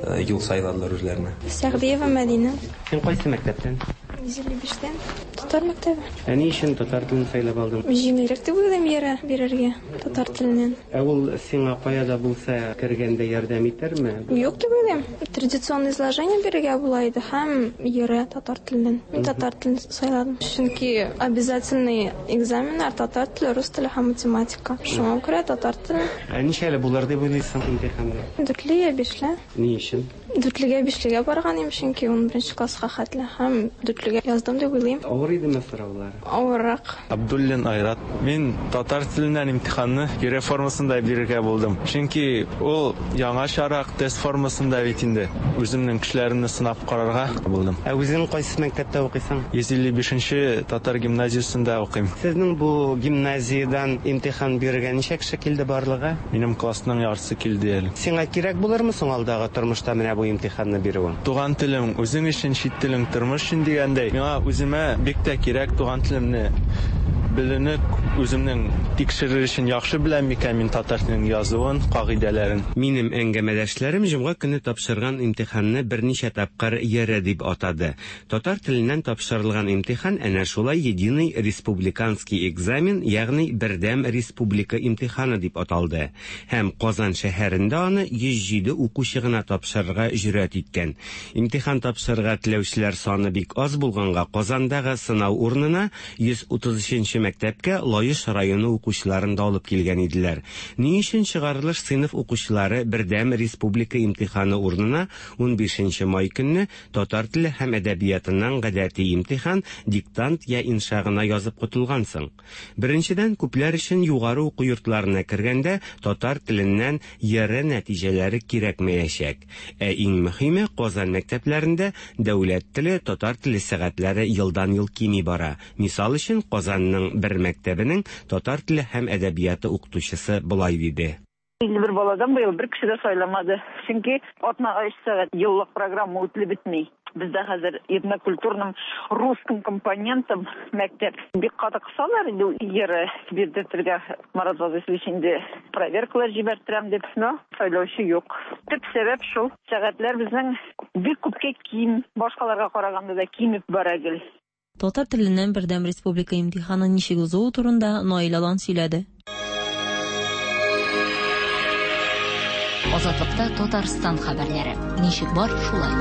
юл сайладылар үзләренә. Сәгъдиева Мәдинә. Син кайсы мәктәптән? 155-тән. Татар мәктәбе. Ә ни өчен татар телен сайлап алдың? Җиңелрәк дип уйлыйм йөрә бирергә татар теленнән. Ә ул сиңа кая да булса кергәндә ярдәм итәрме? Юк дип уйлыйм. Традиционное изложение бирергә була иде һәм йөрә татар теленнән. Мин татар телен сайладым. Чөнки обязательный экзаменнар татар теле, рус теле һәм математика. Шуңа күрә татар теле. Ә ничәле булыр дип уйлыйсың имтиханда? Дүртле я бишле. Ни өчен? Дүртлегә, бишлегә барган идем, чөнки 11 класска хәтле һәм дүртлегә яздым дип уйлыйм. Авыр идеме сораулар? Авыррак. Абдуллин Айрат. Мин татар теленнән имтиханны ЕРЭ формасында бирергә булдым. Чөнки ул яңачарак тест формасында бит инде. Үземнең көчләремне сынап карарга булдым. Ә үзең кайсы мәктәптә укыйсың? 155 татар гимназиясендә укыйм. Сезнең бу гимназиядән имтихан бирергә ничә кеше килде барлыгы? Минем классның яртысы килде әле. Сиңа кирәк булырмы соң алдагы тормышта менә бу имтиханны бирүең? Туган телем үзең өчен, чит телең тормыш өчен дигәндәй, миңа үземә бик тә кирәк туган телемне белүне, үземнең тикшерер өчен яхшы беләм микән мин татар теленең язуын, кагыйдәләрен. Минем әңгәмәдәшләрем җомга көне тапшырган имтиханны берничә тапкыр ЕРЭ дип атады. Татар теленнән тапшырылган имтихан әнә шулай единый республиканский экзамен, ягъни бердәм республика имтиханы дип аталды. Һәм Казан шәһәрендә аны 107 укучы гына тапшырырга җөрьәт иткән. Имтихан тапшырырга теләүчеләр саны бик аз булганга Казандагы сынау урынына 133 мәктәпкә Лаеш районы укучыларын да алып килгән иделәр. Ни өчен чыгарылыш сыйныф укучылары бердәм республика имтиханы урынына 15 май көнне татар теле һәм әдәбиятыннан гадәти имтихан, диктант я инша гына язып котылган соң? Беренчедән, күпләр өчен югары уку йортларына кергәндә татар теленнән ЕРЭ нәтиҗәләре кирәкмәячәк. Ә иң мөһиме, Казан мәктәпләрендә дәүләт теле, татар теле сәгатьләре елдан-ел кими бара. Мисал өчен, Казанның бер мәктәбенең татар теле һәм әдәбияты укытучысы болай диде. 51 баладан быел бер кеше дә сайламады. Чөнки атнага 3 сәгать еллык программа үтелеп бетми. Бездә хәзер этнокультурным русским компонентом мәктәп бик каты кысалар инде ЕРЭ бирдертергә. Марат Вазыйфович инде проверкалар җибәрттерәм дип, но сайлаучы юк. Төп сәбәп шул. Сәгатьләр безнең бик күпкә ким, башкаларга караганда да кимеп бара гел. Татар теленнән бердәм республика имтиханы ничек узуы турында Наил Алан сөйләде. Азатлыкта Татарстан хәбәрләре. Ничек бар, шулай.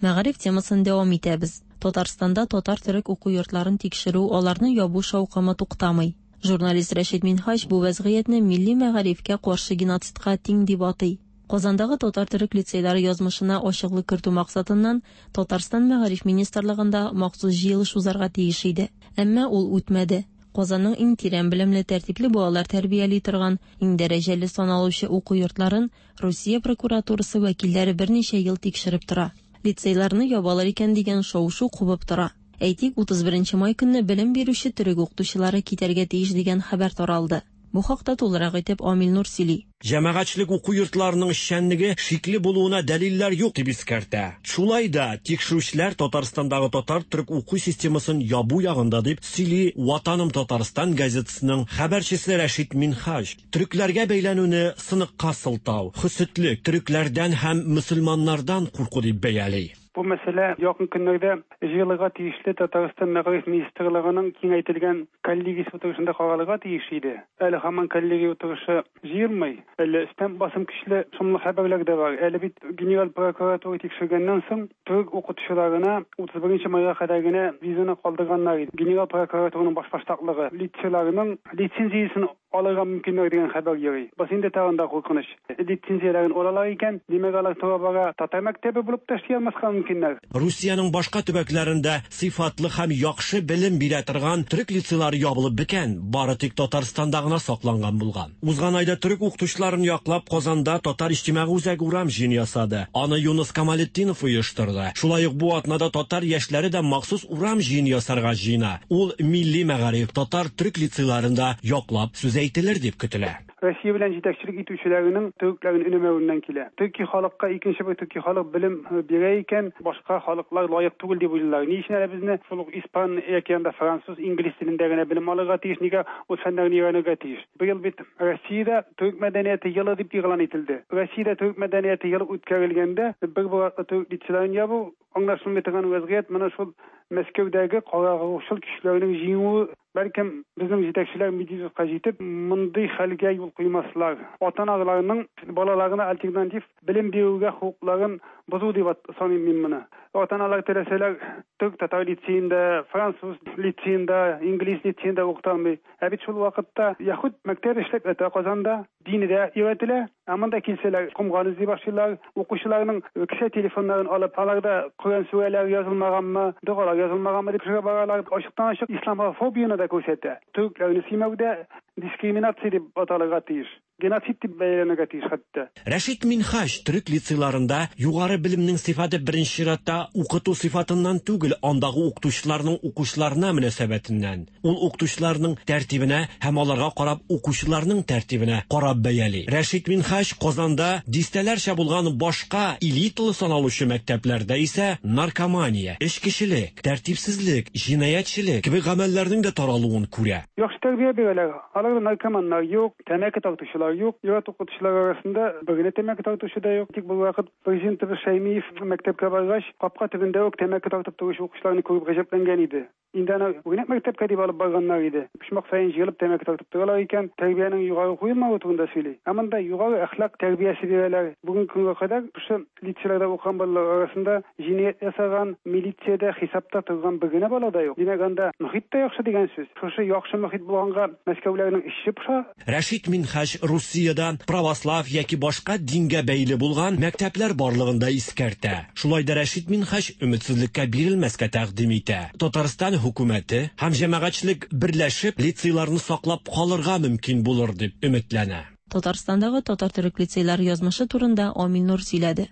Мәгариф темасын дәвам итәбез. Татарстанда татар-төрек уку йортларын тикшерү, аларны ябу шаукымы туктамый. Журналист Рәшит Минһаҗ бу вәзгыятьне милли мәгарифкә каршы геноцидка тиң дип атый. Казандагы татар-төрек лицейлары язмышына ачыклык кертү максатыннан Татарстан мәгариф министрлыгында махсус җыелыш узарга тиеш иде. Әмма ул үтмәде. Казанның иң тирән белемле, тәртипле балалар тәрбияли торган, иң дәрәҗәле саналучы уку йортларын Русия прокуратурасы вәкилләре берничә ел тикшереп тора. Лицейларны ябалар икән дигән шау-шу кубып тора. Әйтик, 31 май көнне белем бирүче төрек укытучылары китәргә тиеш дигән хәбәр таралды. Бу хакта тулырак итеп Амил Нур сөйли. Җәмәгатьчелек уку йортларының эшчәнлеге шикле булуына дәлилләр юк дип искәртә. Шулай да тикшерүчеләр Татарстандагы татар-төрек уку системасын ябу ягында дип сөйли Ватаным Татарстан газетасының хәбәрчесе Рәшит Минһаҗ. Төрекләргә бәйләнүне сыныкка сылтау, хөсетлек, төрекләрдән һәм мөселманнардан курку дип бәяли. Бу мәсьәлә якын көннәрдә җыелырга тиешле Татарстан Мәгариф министрлыгының киңәйтелгән коллегиясе утырышында каралырга тиеш иде. Әле һаман коллегия утырышы җыелмый. Әле өстән басым көчле шомлы хәбәрләр дә бар. Әле бит Генераль прокуратура тикшергәннән соң төрек укытучыларына 31 майга кадәр генә визаны калдырганнар иде. Генераль прокуратураның башбаштаклыгы лицейларның лицензиясен алырга мөмкиннәр дигән хәбәр йөри. Бусы инде тагын да куркыныч. Лицензияләрен алалар икән, димәк, алар тора-бара татар мәктәбе булып та эшли алмаска мөмкиннәр. Русиянең башка төбәкләрендә сыйфатлы һәм яхшы белем бирә торган төрек лицейлары ябылып беткән, бары тик Татарстанда гына сакланган булган. Узган айда төрек укытучыларын яклап Казанда Татар иҗтимагый үзәге урам җыены ясады. Аны Юныс Камалетдинов оештырды. Шулай ук бу атнада татар яшьләре дә махсус урам җыены ясарга җыена. Ул милли мәгариф, татар-төрек лицейларын да яклап сүз әйтелер дип көтелә. Россия белән җитәкчелек итүчеләренең төрекләрен өнәмәвеннән килә. Төрки халыкка икенче бер төрки халык белем бирә икән, башка халыклар лаек түгел дип уйлыйлар. Ни өчен әле безне шул ук испан яки анда француз, инглиз телендә генә белем алырга тиеш, нигә ул фәннәрне өйрәнергә тиеш? Быел бит Россиядә төрек мәдәнияте елы дип игълан ителде. Россиядә төрек мәдәнияте елы үткәрелгәндә бер бер төрек лицейларын ябу аңлашылмый торган вәзгыять. Менә шул Мәскәүдәге карагруһчыл көчләрнең җиңүе, бәлкем, безнең җитәкчеләр Медведевка җитеп, мондый хәлгә юл куймаслар. Ата-аналарның балаларына альтернатив белем бирүгә хокукларын бозу дип саныйм мин моны. Ата-аналар теләсәләр, төрек-татар лицеенда, француз лицеенда, инглиз лицеенда укыта алмый. Ә бит шул вакытта яһүд мәктәбе эшләп ята Казанда. Дине дә өйрәтелә. Ә монда килсәләр, комган эзли башлыйлар. Укучыларның кесә телефоннарын алып, аларда Коръән сүрәләре язылмаганмы, догалар язылмаганмы дип тикшерә баралар. Ачыктан-ачык исламофобияне дә күрсәтә. Төрекләрне сөймәү дә дискриминация дип аталырга тиеш. Геноцид дип бәяләнергә тиеш хәтта. Рәшит Минһаҗ төрек лицейларында югары белемнең сыйфаты беренче чиратта укыту сыйфатыннан түгел, андагы укытучыларның укучыларына мөнәсәбәтеннән, Ул укытучыларның тәртибенә һәм аларга карап укучыларның тәртибенә карап бәяли. Рәшит Минһаҗ Казанда дистәләрчә булган башка элиталы саналучы мәктәпләрдә исә наркомания, эчкечелек, тәртипсезлек, җинаятьчелек кебек гамәлләрнең дә таралуын күрә. Яхшы тәрбия бирәләр. Аларда наркоманнар юк, тәмәке тартучылар юк. Ир-ат укытучылар арасында бер генә тәмәке тартучы да юк. Тик бервакыт президентыбыз Шәймиев мәктәпкә баргач, капка төбендә үк тәмәке тартып торучы укучыларны күреп гаҗәпләнгән иде. Инде аны үрнәк мәктәпкә дип алып барганнар иде. Почмак саен җыелып тәмәке тартып торалар икән, тәрбиянең югары куелмавы турында сөйли. Ә монда югары әхлак тәрбиясе бирәләр. Бүгенге көнгә кадәр шушы лицейларда укыган балалар арасында җинаять ясаган, милициядә хисапта торган бер генә бала да юк. Димәк, анда мохит тә яхшы дигән сүз. Шушы яхшы мохит булганга мәскәүләрнең эче поша. Рәшит Минһаҗ Русиядә православ яки башка дингә бәйле булган мәктәпләр барлыгын да искәртә. Шулай да Рәшит Минһаҗ өметсезлеккә бирелмәскә тәкъдим итә. Татарстан хөкүмәте һәм җәмәгатьчелек берләшеп лицейларны саклап калырга мөмкин булыр дип өметләнә. Татарстандагы татар-төрек лицейлары язмышы турында Амил Нур сөйләде.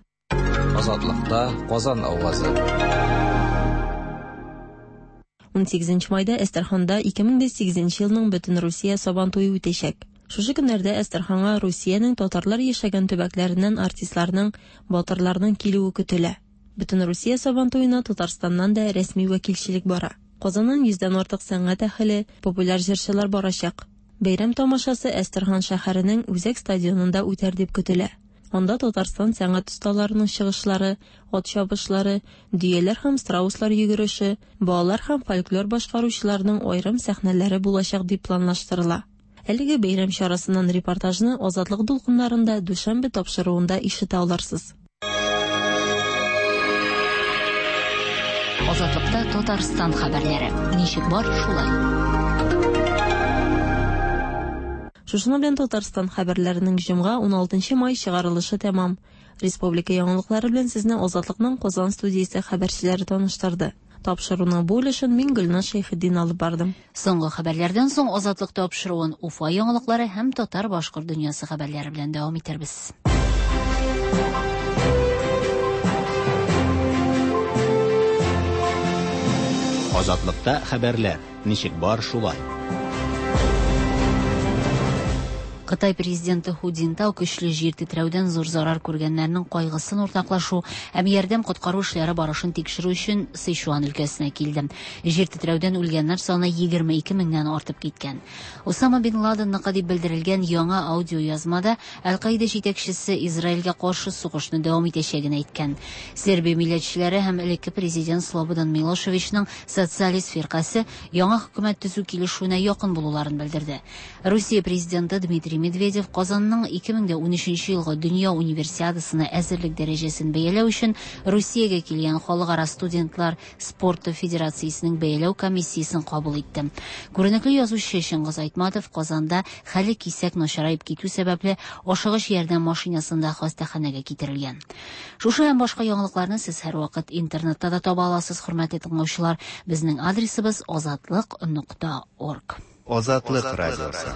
Азатлыкта Казан авазы. 18 майда Әстерханда 2008 елның Бөтенрусия Сабан туе үтәчәк. Шушы көннәрдә Әстерханга Русиянең татарлар яшәгән төбәкләреннән артистларның, батырларның килүе көтелә. Бөтенрусия Сабан туена Татарстаннан да рәсми вәкилчелек бара. Казаннан йөздән артык сәнгать әһеле, популяр җырчылар барачак. Бәйрәм тамашасы Әстерхан шәһәренең үзәк стадионында үтәр дип көтелә. Анда Татарстан сәнгать осталарының чыгышлары, ат чабышлары, дөяләр һәм страуслар йөгереше, балалар һәм фольклор башкаручыларның аерым сәхнәләре булачак дип планлаштырыла. Әлеге бәйрәм чарасыннан репортажны Азатлык дулкыннарында дүшәмбе тапшыруында ишетә алырсыз. Азатлыкта Татарстан хәбәрләре. Ничек бар, шулай. Шушының белән Татарстан хәбәрләренең җомга 16 май чыгарылышы тәмам. Республика яңалыклары белән сезне Азатлыкның Казан студиясе хәбәрчеләре таныштырды. Тапшыруның бу өлешен мин Гөлназ Шәйхетдин алып бардым. Соңгы хәбәрләрдән соң Азатлык тапшыруын Уфа яңалыклары һәм татар-башкорт дөньясы хәбәрләре белән дәвам итәрбез. Азатлыкта хәбәрләр. Ничек бар, шулай. Кытай президенты Ху Цзиньтао көчле җир тетрәүдән зур зарар күргәннәрнең кайгысын уртаклашу һәм ярдәм-коткару эшләре барышын тикшерү өчен Сычуан өлкәсенә килде. Җир тетрәүдән үлгәннәр саны 22 меңнән артып киткән. Осама бин Ладенныкы дип белдерелгән яңа аудиоязмада Әл-Каида җитәкчесе Израильгә каршы сугышны дәвам итәчәген әйткән. Сербия милләтчеләре һәм элекке президент Слободан Милошевичның социалист фиркасе яңа хөкүмәт төзү килешүенә якын булуларын белдерде. Русия президенты Дмитрий Медведев Казанның 2013 елгы Дөнья Универсиадасына әзерлек дәрәҗәсен бәяләү өчен Русиягә килгән Халыкара студентлар спорты федерациясенең бәяләү комиссиясен кабул итте. Күренекле язучы Чыңгыз Айтматов Казанда хәле кисәк начараеп китү сәбәпле, ашыгыч ярдәм машинасында хастаханәгә китерелгән. Шушы һәм башка яңалыкларны сез һәрвакыт интернетта да таба аласыз, хөрмәтле тыңлаучылар. Безнең адресыбыз азатлык нокта орг. Азатлык радиосы.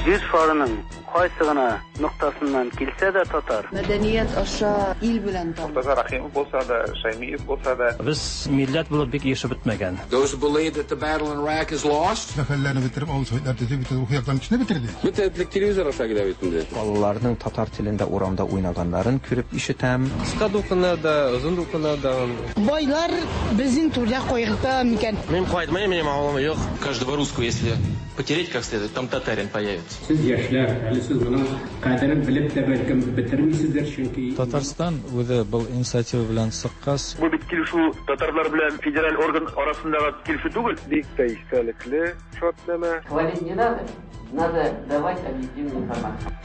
Җир шарының кайсы гына ноктасыннан килсә дә татар. Мәдәният аша ил белән таныш. Мортаза Рәхимов булса да, Шәймиев булса да. Без милләт булып бик ирешеп бетмәгән. Those who believe that the battle in Iraq is lost. Сәфәрләрне бетереп, авыл советлар төзеп, бөтен рухи яктан көчне бетерде. Бөтен телевизор аша килә бит инде. Балаларның татар телендә урамда уйнаганнарын күреп ишетәм. Кыска дулкыннар да, озын дулкыннар да. Байлар безнең түрдә кайгырта микән? Мин кайтмыйм, минем авылым юк. Каждого русского, если потереть как следует, там татарин появится. Сез яшьләр, әле сез моның кадерен белеп тә бәлкем бетермисездер, чөнки Татарстан үзе был инициатива белән чыккач. Бу бит килешү татарлар белән федераль орган арасындагы килешү түгел. Бик тә истәлекле шартнамә. Хвалить не надо, надо давать объективную информацию.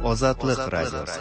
Азатлык радиосы.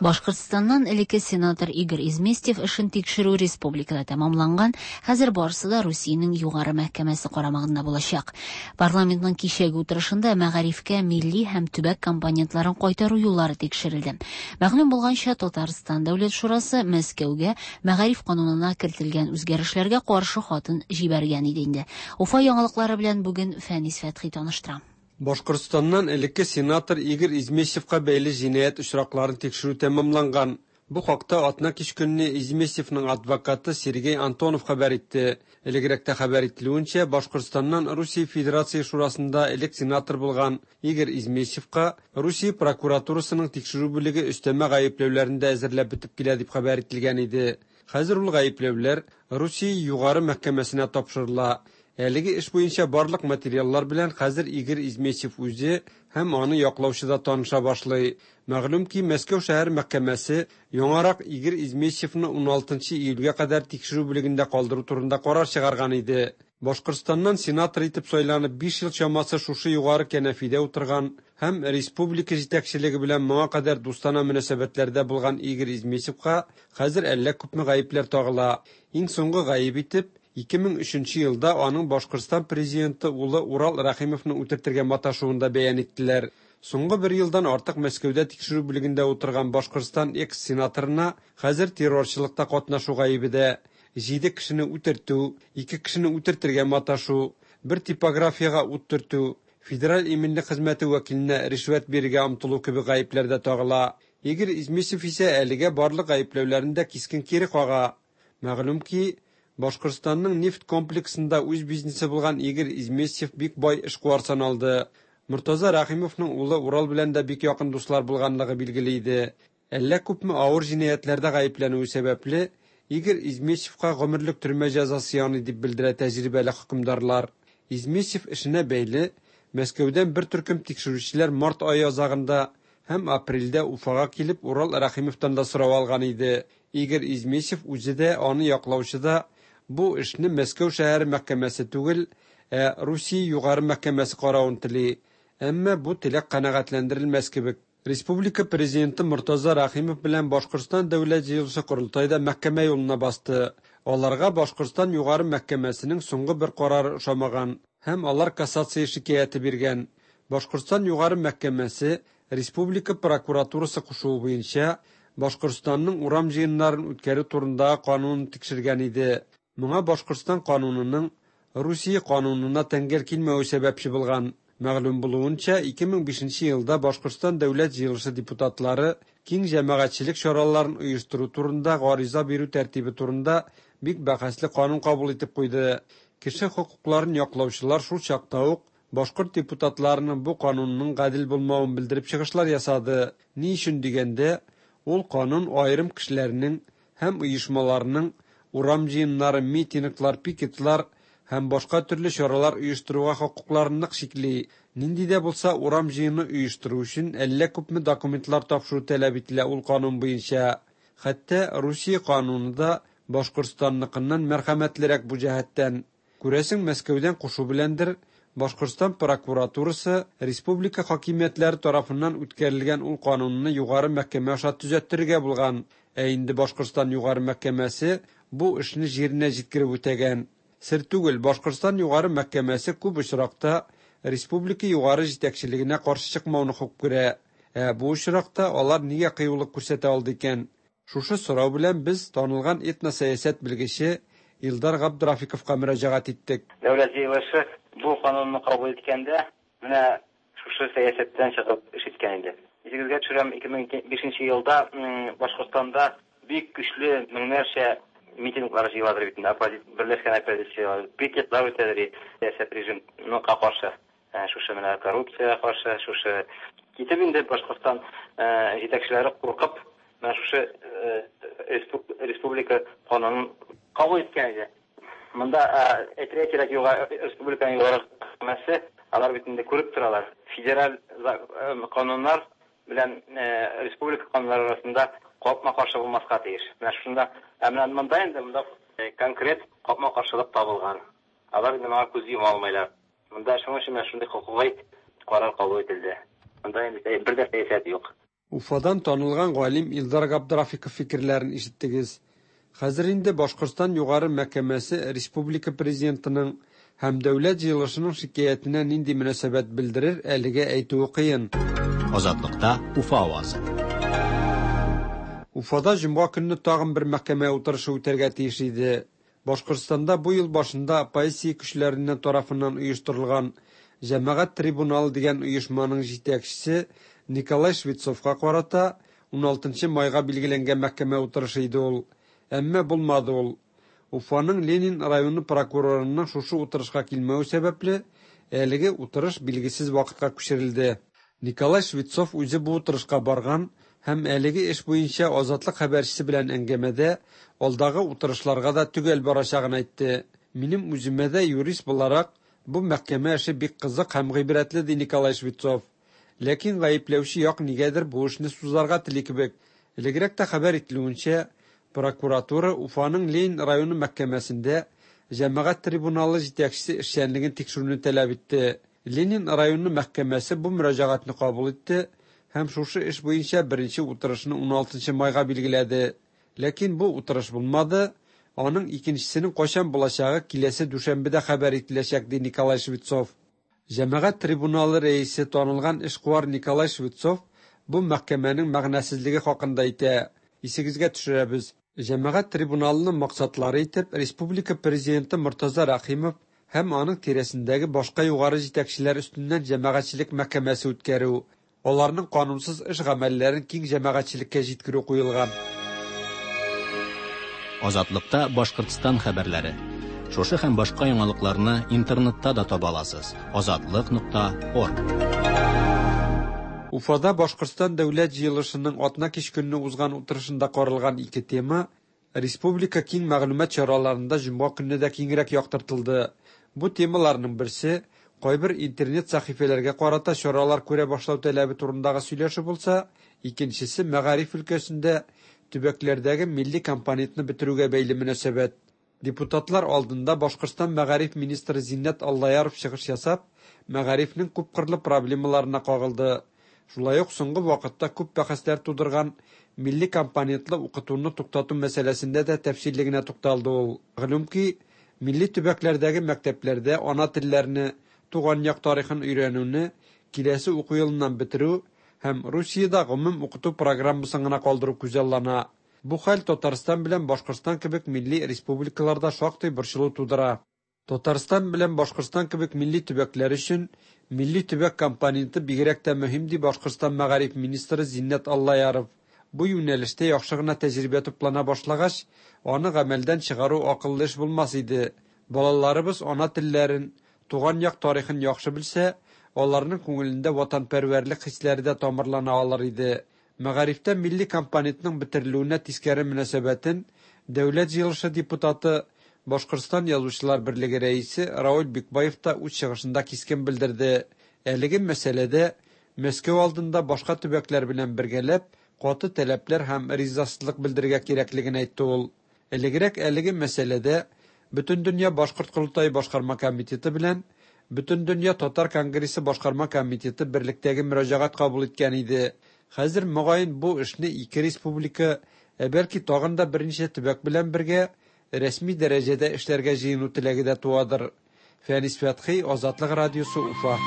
Башкортстаннан элекке сенатор Игорь Изместьев эшен тикшерү республикада тәмамланган, хәзер барысы да Русиянең Югары мәхкәмәсе карамагында булачак. Парламентның кичәге утырышында мәгарифкә милли һәм төбәк компонентларын кайтару юллары тикшерелде. Мәгълүм булганча, Татарстан Дәүләт шурасы Мәскәүгә мәгариф канунына кертелгән үзгәрешләргә каршы хатын җибәргән иде инде. Уфа яңалыклары белән бүген Фәнис Фәтхи таныштыра. Башкортстаннан элекке сенатор Игорь Изместьевка бәйле җинаять очракларын тикшерү тәмамланган. Бу хакта атна кич көнне Изместьевның адвокаты Сергей Антонов хәбәр итте. Элегрәктә хәбәр ителүенчә, Башкортстаннан Русия Федерация Шурасында элек сенатор булган Игорь Изместьевка Русия прокуратурасының тикшерү бүлеге өстәмә гаепләүләрен дә әзерләп бетеп килә дип хәбәр ителгән иде. Хәзер ул гаепләүләр Русия Югары мәхкәмәсенә тапшырыла. Әлеге эш буенча барлык материаллар белән хәзер Игорь Изместьев үзе һәм аны яклаучы да таныша башлый. Мәгълүм ки, Мәскәү шәһәр мәхкәмәсе яңарак Игорь Изместьевны 16 июльгә кадәр тикшерү бүлегендә калдыру турында карар чыгарган иде. Башкортстаннан сенатор итеп сайланып 5 ел чамасы шушы югары кәнәфидә утырган һәм республика җитәкчелеге белән моңа кадәр дустана мөнәсәбәтләрдә булган Игорь Изместьевка хәзер әллә күпме гаепләр тагыла. Иң соңгы гаеп итеп 2003 елда аның Башкортстан президенты улы Урал Рәхимовны үтертергә маташуын да бәян иттеләр. Соңгы бер елдан артык Мәскәүдә тикшерү бүлегендә утырган Башкортстан экс-сенаторына хәзер террорчылыкта катнашу гаебе дә, 7 кешене үтертү, 2 кешене үтертергә маташу, бер типографиягә ут төртү, федераль иминлек хезмәте вәкиленә ришвәт бирергә омтылу кебек гаепләр дә тагыла. Игорь Изместьев исә әлегә барлык гаепләүләрен дә кискен кире кага. Мәгълүм ки, Башкортстанның нефть комплексында үз бизнесы булган Игорь Изместьев бик бай эшкуар саналды. Мортаза Рәхимовның улы Урал белән дә бик якын дуслар булганлыгы билгеле иде. Әллә күпме авыр җинаятьләрдә гаепләнүе сәбәпле, Игорь Изместьевка гомерлек төрмә җәзасы яный дип белдерә тәҗрибәле хөкемдарлар. Изместьев эшенә бәйле Мәскәүдән бер төркем тикшерүчеләр март ае азагында һәм апрельдә Уфага килеп Урал Рәхимовтан да сорау алган иде. Игорь Изместьев үзе дә, аны яклаучы да бу эшне Мәскәү шәһәре мәхкәмәсе түгел, ә Русия Югары мәхкәмәсе каравын тели. Әмма бу теләк канәгатьләндерелмәс кебек. Республика президенты Мортаза Рәхимов белән Башкортстан Дәүләт җыелышы корылтае да мәхкәмә юлына басты. Аларга Башкортстан Югары мәхкәмәсенең соңгы бер карары ошамаган һәм алар кассация шикаяте биргән. Башкортстан Югары мәхкәмәсе республика прокуратурасы кушуы буенча Башкортстанның урам җыеннарын үткәрү турындагы канунын тикшергән иде. Моңа Башкортстан канунының Русия канунына тәңгәл килмәве сәбәпче булган. Мәгълүм булуынча, 2005 елда Башкортстан Дәүләт җыелышы депутатлары киң җәмәгатьчелек чараларын оештыру турында гариза бирү тәртибе турында бик бәхәсле канун кабул итеп куйды. Кеше хокукларын яклаучылар шул чакта ук башкорт депутатларының бу канунның гадел булмавын белдереп чыгышлар ясады. Ни өчен дигәндә, ул канун аерым кешеләрнең һәм оешмаларның урам җыеннары, митинглар, пикетлар һәм башка төрле чаралар оештыруга хокукларын нык чикли. Нинди дә булса урам җыены оештыру өчен әллә күпме документлар тапшыру таләп ителә ул канун буенча. Хәтта Русия кануны да Башкортстанныкыннан мәрхәмәтлерәк бу җәһәттән. Күрәсең, Мәскәүдән кушу беләндер, Башкортстан прокуратурасы республика хакимиятләре тарафыннан үткәрелгән ул канунны югары мәхкәмә аша төзәттерергә булган. Ә инде Башкортстан югары мәхкәмәсе бу эшне җиренә җиткереп үтәгән. Сер түгел, Башкортстан югары мәхкәмәсе күп очракта республика югары җитәкчелегенә каршы чыкмауны хуп күрә. Ә бу очракта алар нигә кыюлык күрсәтә алды икән? Шушы сорау белән без танылган этносәясәт белгече Илдар Габдрафиковка мөрәҗәгать иттек. Дәүләт җыелышы бу канунны кабул иткәндә, менә шушы сәясәттән чыгып эш иткән иде. Исегезгә төшерәм, 2005 елда Башкортстанда бик көчле меңнәрчә митинглар җыеладыр бит инде, берләшкән оппозиция, пикетлар үтәдер сәясәт режимына каршы, шушы менә коррупциягә каршы, шушы китеп инде Башкортстан җитәкчеләре куркып, менә шушы республика канунын кабул иткән иде. Монда әйтергә кирәк, югары республиканың югары мәхкәмәсе, алар бит инде күреп торалар. Федераль кануннар белән республика кануннары арасында капма-каршы булмаска тиеш. Менә шунда, ә менә монда инде монда конкрет капма-каршылык табылган. Алар инде моңа күз йома алмыйлар. Монда шуның өчен менә шундый хокукый карар кабул ителде. Монда инде бер дә сәясәт юк. Уфадан танылган галим Илдар Габдрафиков фикерләрен ишеттегез. Хәзер инде Башкортстан югары мәхкәмәсе республика президентының һәм дәүләт җыелышының шикаятенә нинди мөнәсәбәт белдерер, әлегә әйтүе кыен. Азатлыкта Уфа авазы. Уфада җомга көнне тагын бер мәхкәмә утырышы үтәргә тиеш иде. Башкортстанда бу ел башында оппозиция көчләреннән тарафыннан оештырылган Җәмәгать трибуналы дигән оешманың җитәкчесе Николай Швецовка карата 16 майга билгеләнгән мәхкәмә утырышы иде ул. Әмма булмады ул. Уфаның Ленин районы прокурорының шушы утырышка килмәве сәбәпле, әлеге утырыш билгесез вакытка күчерелде. Николай Швецов үзе бу утырышка барган һәм әлеге эш буенча Азатлык хәбәрчесе белән әңгәмәдә алдагы утырышларга да төгәл барачагын әйтте. Минем үземә дә юрист буларак бу мәхкәмә эше бик кызык һәм гыйбрәтле, ди Николай Швецов. Ләкин гаепләүче як нигәдер бу эшне сузарга тели кебек. Элегрәк тә хәбәр ителүенчә, прокуратура Уфаның Ленин районы мәхкәмәсендә җәмәгать трибуналы җитәкчесе эшчәнлеген тикшерүне таләп итте. Ленин районы мәхкәмәсе бу мөрәҗәгатьне кабул итте һәм шушы эш буенча беренче утырышны 16 майга билгеләде. Ләкин бу утырыш булмады. Аның икенчесенең кайчан булачагы киләсе дүшәмбедә хәбәр ителәчәк, ди Николай Швецов. Җәмәгать трибуналы рәисе танылган эшкуар Николай Швецов бу мәхкәмәнең мәгънәсезлеге хакында әйтә. Исегезгә төшерәбез. Җәмәгать трибуналының максатлары итеп республика президенты Мортаза Рәхимов һәм аның тирәсендәге башка югары җитәкчеләр өстеннән җәмәгатьчелек мәхкәмәсе үткәрү, аларның канунсыз эш гамәлләрен киң җәмәгатьчелеккә җиткерү куелган. Азатлыкта Башкортстан хәбәрләре. Шушы һәм башка яңалыкларны интернетта да таба аласыз. Азатлык.орг. Уфада Башкортстан дәүләт җыелышының атна кич көнне узган утырышында каралган ике тема республика киң мәгълүмат чараларында җомга көнне дә киңрәк яктыртылды. Бу темаларның берсе кайбер интернет сәхифәләргә карата чаралар күрә башлау таләбе турындагы сөйләшү булса, икенчесе мәгариф өлкәсендә төбәкләрдәге милли компонентны бетерүгә бәйле мөнәсәбәт. Депутатлар алдында Башкортстан мәгариф министры Зиннәт Аллаяров чыгыш ясап, мәгарифнең күпкырлы проблемаларына кагылды. Шулай ук соңгы вакытта күп бәхәсләр тудырган милли компонентлы укытуны туктату мәсьәләсендә дә тәфсилле генә тукталды ул. Мәгълүм ки, милли төбәкләрдәге мәктәпләрдә ана телләрне, туган як тарихын өйрәнүне киләсе уку елыннан бетерү һәм Русиядә гомум укыту программасын гына калдыру күзаллана. Бу хәл Татарстан белән Башкортстан кебек милли республикаларда шактый борчылу тудыра. Татарстан белән Башкортстан кебек милли төбәкләр өчен милли төбәк компоненты бигрәк тә мөһим, ди Башкортстан мәгариф министры Зиннәт Аллаяров. Бу юнәлештә яхшы гына тәҗрибә туплана башлагач, аны гамәлдән чыгару акыллы эш булмас иде. Балаларыбыз ана телләрен, туган як тарихын яхшы белсә, аларның күңелендә ватанпәрвәрлек хисләре дә тамырлана алыр иде. Мәгарифтә милли компонентның бетерелүенә тискәре мөнәсәбәтен Дәүләт Җыелышы депутаты, Башкортстан Язучылар берлеге рәисе Равил Бикбаев та үз чыгышында кискен белдерде. Әлеге мәсьәләдә Мәскәү алдында башка төбәкләр белән бергәләп каты таләпләр һәм ризасызлык белдерергә кирәклеген әйтте ул. Элегрәк әлеге мәсьәләдә Бөтендөнья башкорт корылтае башкарма комитеты белән Бөтендөнья татар конгрессы башкарма комитеты берлектәге мөрәҗәгать кабул иткән иде. Хәзер, мөгаен, бу эшне ике республика, ә бәлки тагын да берничә төбәк белән бергә рәсми дәрәҗәдә эшләргә җыену теләге дә туадыр. Фәнис Фәтхи, Азатлык радиосы, Уфа.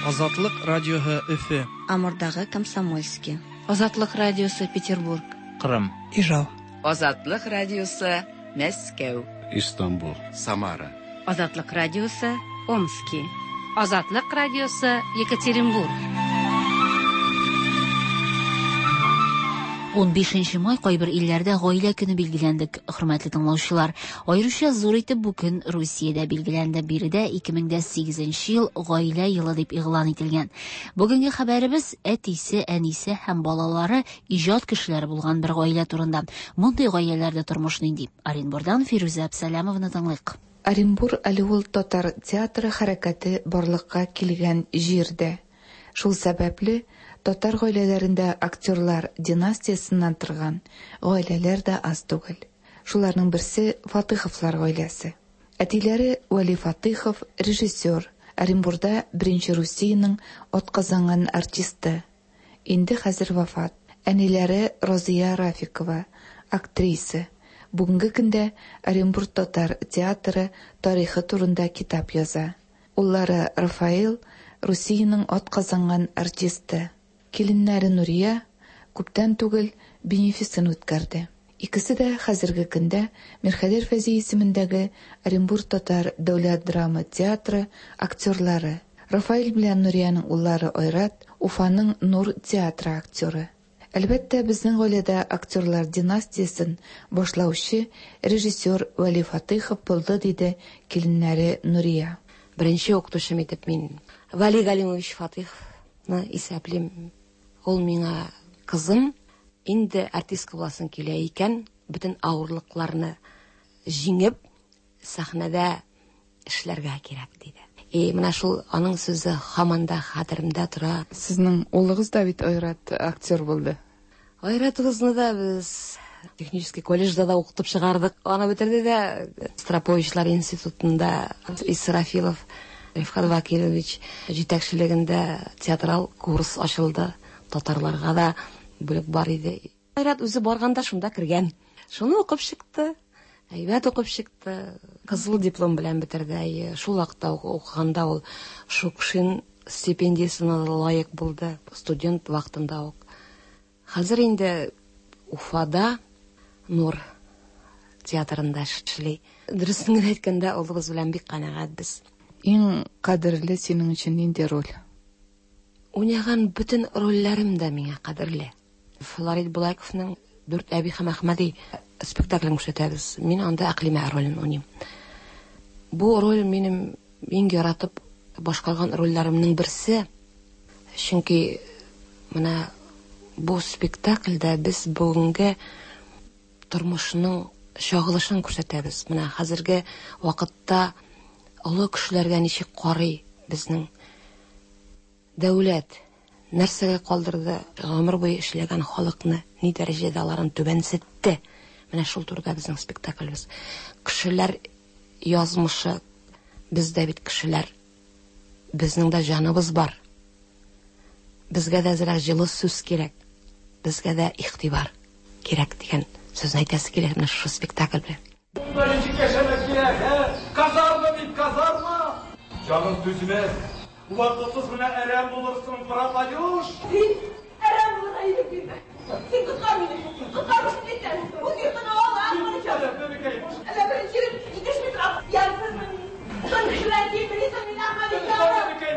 Азатлык радиоһы Өфе. Амурдагы Комсомольски. Азатлык радиосы Петербург. Кырым. Ижау. Азатлык радиосы Мәскәү. Истанбул. Самара. Азатлык радиосы Омски. Азатлык радиосы Екатеринбург. 15 май кайбер илләрдә гаилә көне билгеләнде, хөрмәтле тыңлаучылар. Аеруча зур итеп бу көн Русиядә билгеләнде. Биредә 2008 ел гаилә елы дип игълан ителгән. Бүгенге хәбәребез әтисе, әнисе һәм балалары иҗат кешеләре булган бер гаилә турында. Мондый гаиләләрдә тормыш нинди? Оренбурдан Фирүзә Әбсәләмованы тыңлыйк. Оренбур әле ул татар театры хәрәкәте барлыкка килгән җирдә. Шул сәбәпле татар гаиләләрендә актерлар династиясеннән торган гаиләләр дә аз түгел. Шуларның берсе Фатыховлар гаиләсе. Әтиләре Вәли Фатыхов режиссер, Оренбурда беренче Русиянең атказанган артисты. Инде хәзер вафат. Әниләре Розия Рафикова, актриса. Бүгенге көндә Оренбург татар театры тарихы турында китап яза. Уллары Рафаэл Русиянең атказанган артисты. Киленнәре Нурия күптән түгел бенефисын үткәрде. Икесе дә хәзерге көндә Мирхәйдәр Фәйзи исемендәге Оренбург татар дәүләт драма театры актерлары. Рафаэль белән Нуриянең уллары Айрат Уфаның Нур театры актеры. Әлбәттә, безнең гаиләдә актерлар династиясен башлаучы режиссер Вәли Фатыйхов булды, диде киленнәре Нурия. Беренче укытучым итеп мин Вәли Галимович Фатыйховны исәплим. Ул миңа, кызым, инде артистка буласың килә икән, бөтен авырлыкларны җиңеп, сәхнәдә эшләргә кирәк, диде. И менә шул аның сүзе һаман да хәтеремдә тора. Сезнең улыгыз да бит Айрат актер булды. Айратыбызны да без технический колледжда да укытып чыгардык. Аны бетерде дә Строповичлар институтында Исрафилов Рифкат Вакилович җитәкчелегендә театрал курс ачылды. Татарларга да бүлек бар иде. Айрат үзе барганда шунда кергән. Шуны укып чыкты. Әйбәт укып чыкты. Кызыл диплом белән бетерде. Шул вакытта укыганда ул Шукшин стипендиясенә лаек булды. Студент вакытында ук. Хәзер инде Уфада Нур театрында эшли. Дөресен генә әйткәндә, улыбыз белән бик канәгать без. Иң кадерле синең өчен нинди роль? Уйнаган бөтен рольләрем дә миңа кадерле. Флорид Булайковның Дүрт әби һәм Әхмәди спектаклен күрсәтәбез. Мин анда Әкълимә ролен уйныйм. Бу роль минем иң яратып башкарган рольләремнең берсе. Чөнки менә бу спектакльдә без бүгенге тормышның чагылышын күрсәтәбез. Менә хәзерге вакытта олы кешеләргә ничек карый безнең дәүләт, нәрсәгә калдырды гомер буе эшләгән халыкны, ни дәрәҗәдә аларын түбәнсетте. Менә шул турыда безнең спектаклебез. Кешеләр язмышы, бездә бит кешеләр, безнең дә җаныбыз бар. Безгә дә әзрәк җылы сүз кирәк, безгә дә игътибар кирәк дигән сүзне әйтәсе килә менә шушы спектакль белән. Монда ничек яшәмәк кирәк, ә? Казарма бит, казарма! Җаның түзмәс. Вакытсыз менә әрәм булырсың, пропадешь. Син әрәм булырга ирек бирмә. Коткар мине! Коткар шүрлектән! Үз йортыңа ал, Әхмәдиҗан! Әллә беренче ирем җитешми тора, ямьсезме мин? Тын кешеләр килмилисең мин, Әхмәдиҗан!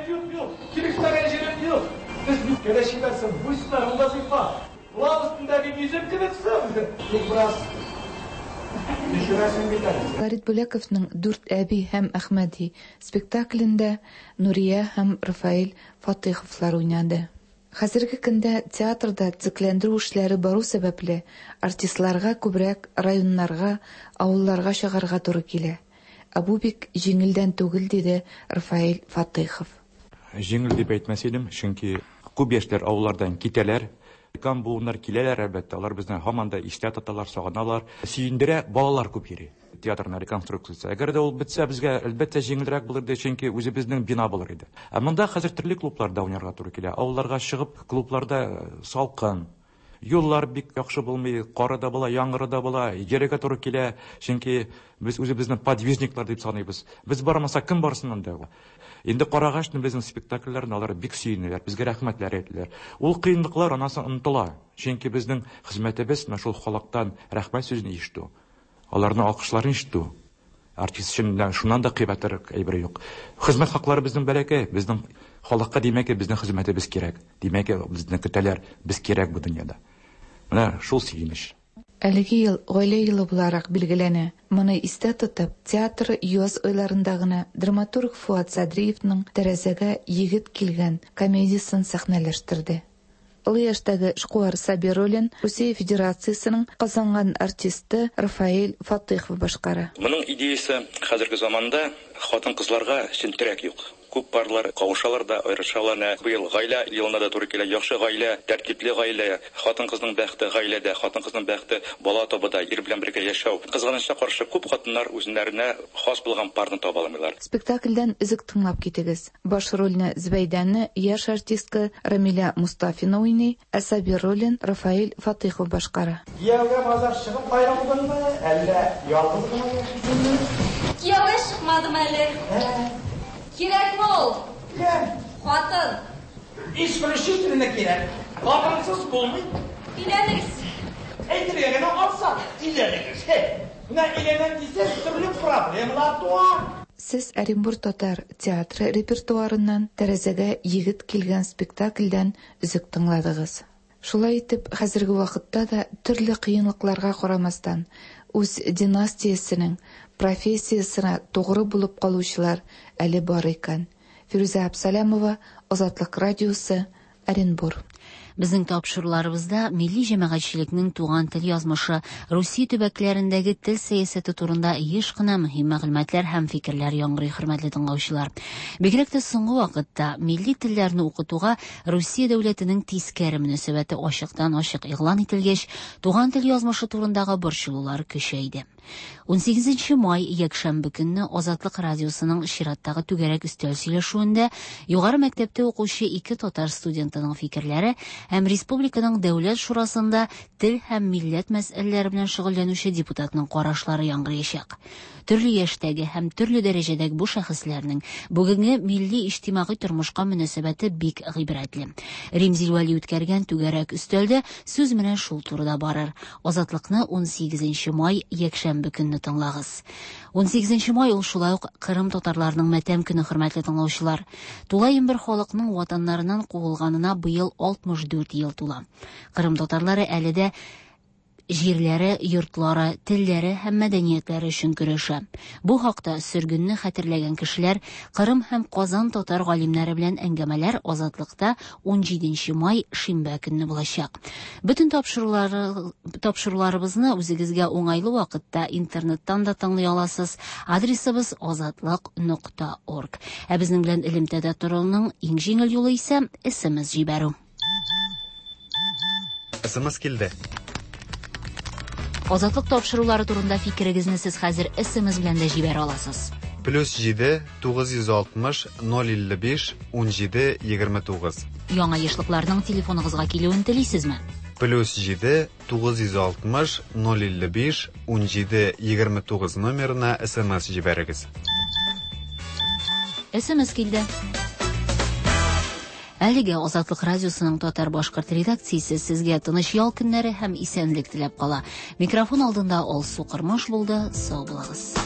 Юк, юк, килешмәгән җирем юк. Без бит кәләш ибәрсең, буйсыннар, ул вазифа. Лав өстендәге йөзем кебексең. Тик бераз төшерәсең бит әле. Фәрит Бүләковның Дүрт әби һәм Әхмәди спектаклендә Нурия һәм Рафаэль Фатыйховлар уйнады. Хәзерге көндә театрда төзекләндерү эшләре бару сәбәпле, артистларга күбрәк районнарга, авылларга чыгарга туры килә. Ә бу бик җиңелдән түгел, диде Рафаэль Фатыйхов. Җиңел дип әйтмәс идем, чөнки күп яшьләр авыллардан китәләр. Өлкән буыннар киләләр, әлбәттә, алар безне һаман да истә тоталар, сагыналар. Сөендерә, балалар күп йөри. Театрның реконструкциясе. Әгәр дә ул бетсә, безгә әлбәттә җиңелрәк булыр иде, чөнки үзебезнең бина булыр иде. Ә монда хәзер төрле клубларда уйнарга туры килә. Авылларга чыгып, клубларда салкын, юллар бик яхшы булмый, кары да була, яңгыры да була, йөрергә туры килә, чөнки без үзебезне подвижниклар дип саныйбыз. Без бармасак, кем барсын анда? Инде карагач, безнең спектакльләрне алар бик сөенәләр, безгә рәхмәтләр әйтәләр. Ул кыенлыклар аннан соң онытыла, чөнки безнең хезмәтебез менә шул халыктан рәхмәт сүзен ишетү, аларның алкышларын ишетү. Артист өчен шуннан да кыйбатрак әйбер юк. Хезмәт хаклары безнең бәләкәй, безнең халыкка димәк, безнең хезмәтебез кирәк. Димәк, безне көтәләр, без кирәк бу дөньяда. Менә шул сөенеч. Әлеге ел гаилә елы буларак билгеләнә. Моны истә тотып, театр яз айларында гына драматург Фуат Садриевның Тәрәзәгә егет килгән комедиясен сәхнәләштерде. Олы яшьтәге эшкуар Сабир ролен Русия Федерациясенең казанган артисты Рафаэль Фатыйхов башкара. Моның идеясе хәзерге заманда хатын-кызларга чын терәк юк. Күп парлар кавышалар да, аерышалар. Менә быел гаилә елына да туры килә. Яхшы гаилә, тәртипле гаилә, хатын-кызның бәхте гаиләдә, хатын-кызның бәхте бала табуда, ир белән бергә яшәү. Кызганычка каршы, күп хатыннар үзләренә хас булган парны таба алмыйлар. Спектакльдән өзек тыңлап китегез. Баш рольне Зөбәйдәне яшь артистка Рамилә Мустафина уйный, ә Сабир ролен Рафаэль Фатыйхов башкара. Кияүгә базар чыгып аерылдыңмы, әллә ялгыз гына яшисеңме? Кияүгә чыкмадым әле. Кирәкме ул? Кем? Хатын. Исключительно кирәк. Хатынсыз булмый. Өйләнегез. Әйтергә генә ансат, өйләнегез. Менә өйләнәм дисәң, төрле проблемалар туа. Сез Оренбур татар театры репертуарыннан Тәрәзәгә егет килгән спектакльдән өзек тыңладыгыз. Шулай итеп, хәзерге вакытта да төрле кыенлыкларга карамастан, үз династиясенең профессиясенә тугры булып калучылар әле бар икән. Фирүзә Абсалямова, Азатлык радиосы, Оренбур. Безнең тапшыруларыбызда милли җәмәгатьчелекнең туган тел язмышы, Русия төбәкләрендәге тел сәясәте турында еш кына мөһим мәгълүматлар һәм фикерләр яңгырый, хөрмәтле тыңлаучылар. Бигрәк тә соңгы вакытта милли телләрне укытуга Русия дәүләтенең тискәре мөнәсәбәте ачыктан-ачык игълан ителгәч, туган тел язмышы турындагы борчылулар көчәйде. 18 май якшәмбе көнне Азатлык радиосының чираттагы түгәрәк өстәл сөйләшүендә югары мәктәптә укучы ике татар студентының фикерләре һәм республиканың дәүләт шурасында тел һәм милләт мәсьәләләре белән шөгыльләнүче депутатның карашлары яңгыраячак. Төрле яшьтәге һәм төрле дәрәҗәдәге бу шәхесләрнең бүгенге милли иҗтимагый тормышка мөнәсәбәте бик гыйбрәтле. Римзил Вәли үткәргән түгәрәк өстәлдә сүз менә шул турыда барыр. Азатлыкны 18 май якшәмбе көнне тыңлагыз. 18 май ул шулай ук Кырым татарларының матәм көне, хөрмәтле тыңлаучылар. Тулаем бер халыкның ватаннарыннан куылганына быел 64 ел тула. Кырым татарлары әле дә җирләре, йортлары, телләре һәм мәдәниятләре өчен көрәшә. Бу хакта сөргенне хәтерләгән кешеләр Кырым һәм Казан татар галимнәре белән әңгәмәләр Азатлыкта 17 май шимбә көнне булачак. Бөтен тапшыруларыбызны үзегезгә уңайлы вакытта интернеттан да тыңлый аласыз. Адресыбыз azatliq.org. Ә безнең белән элемтәдә торуның иң җиңел юлы исә SMS җибәрү. SMS килде. Азатлык тапшырулары турында фикерегезне сез хәзер SMS белән дә җибәрә аласыз. +7 960 055 17 29. Яңа ешлыкларның телефоныгызга килүен телисезме? +7 960 055 17 29 номерына SMS җибәрегез. SMS килде. Әлегә Азатлык радиосының татар-башкорт редакциясе сезгә тыныч ял көннәре һәм исәнлек теләп кала. Микрофон алдында Алсу Кормаш булды. Сау булыгыз.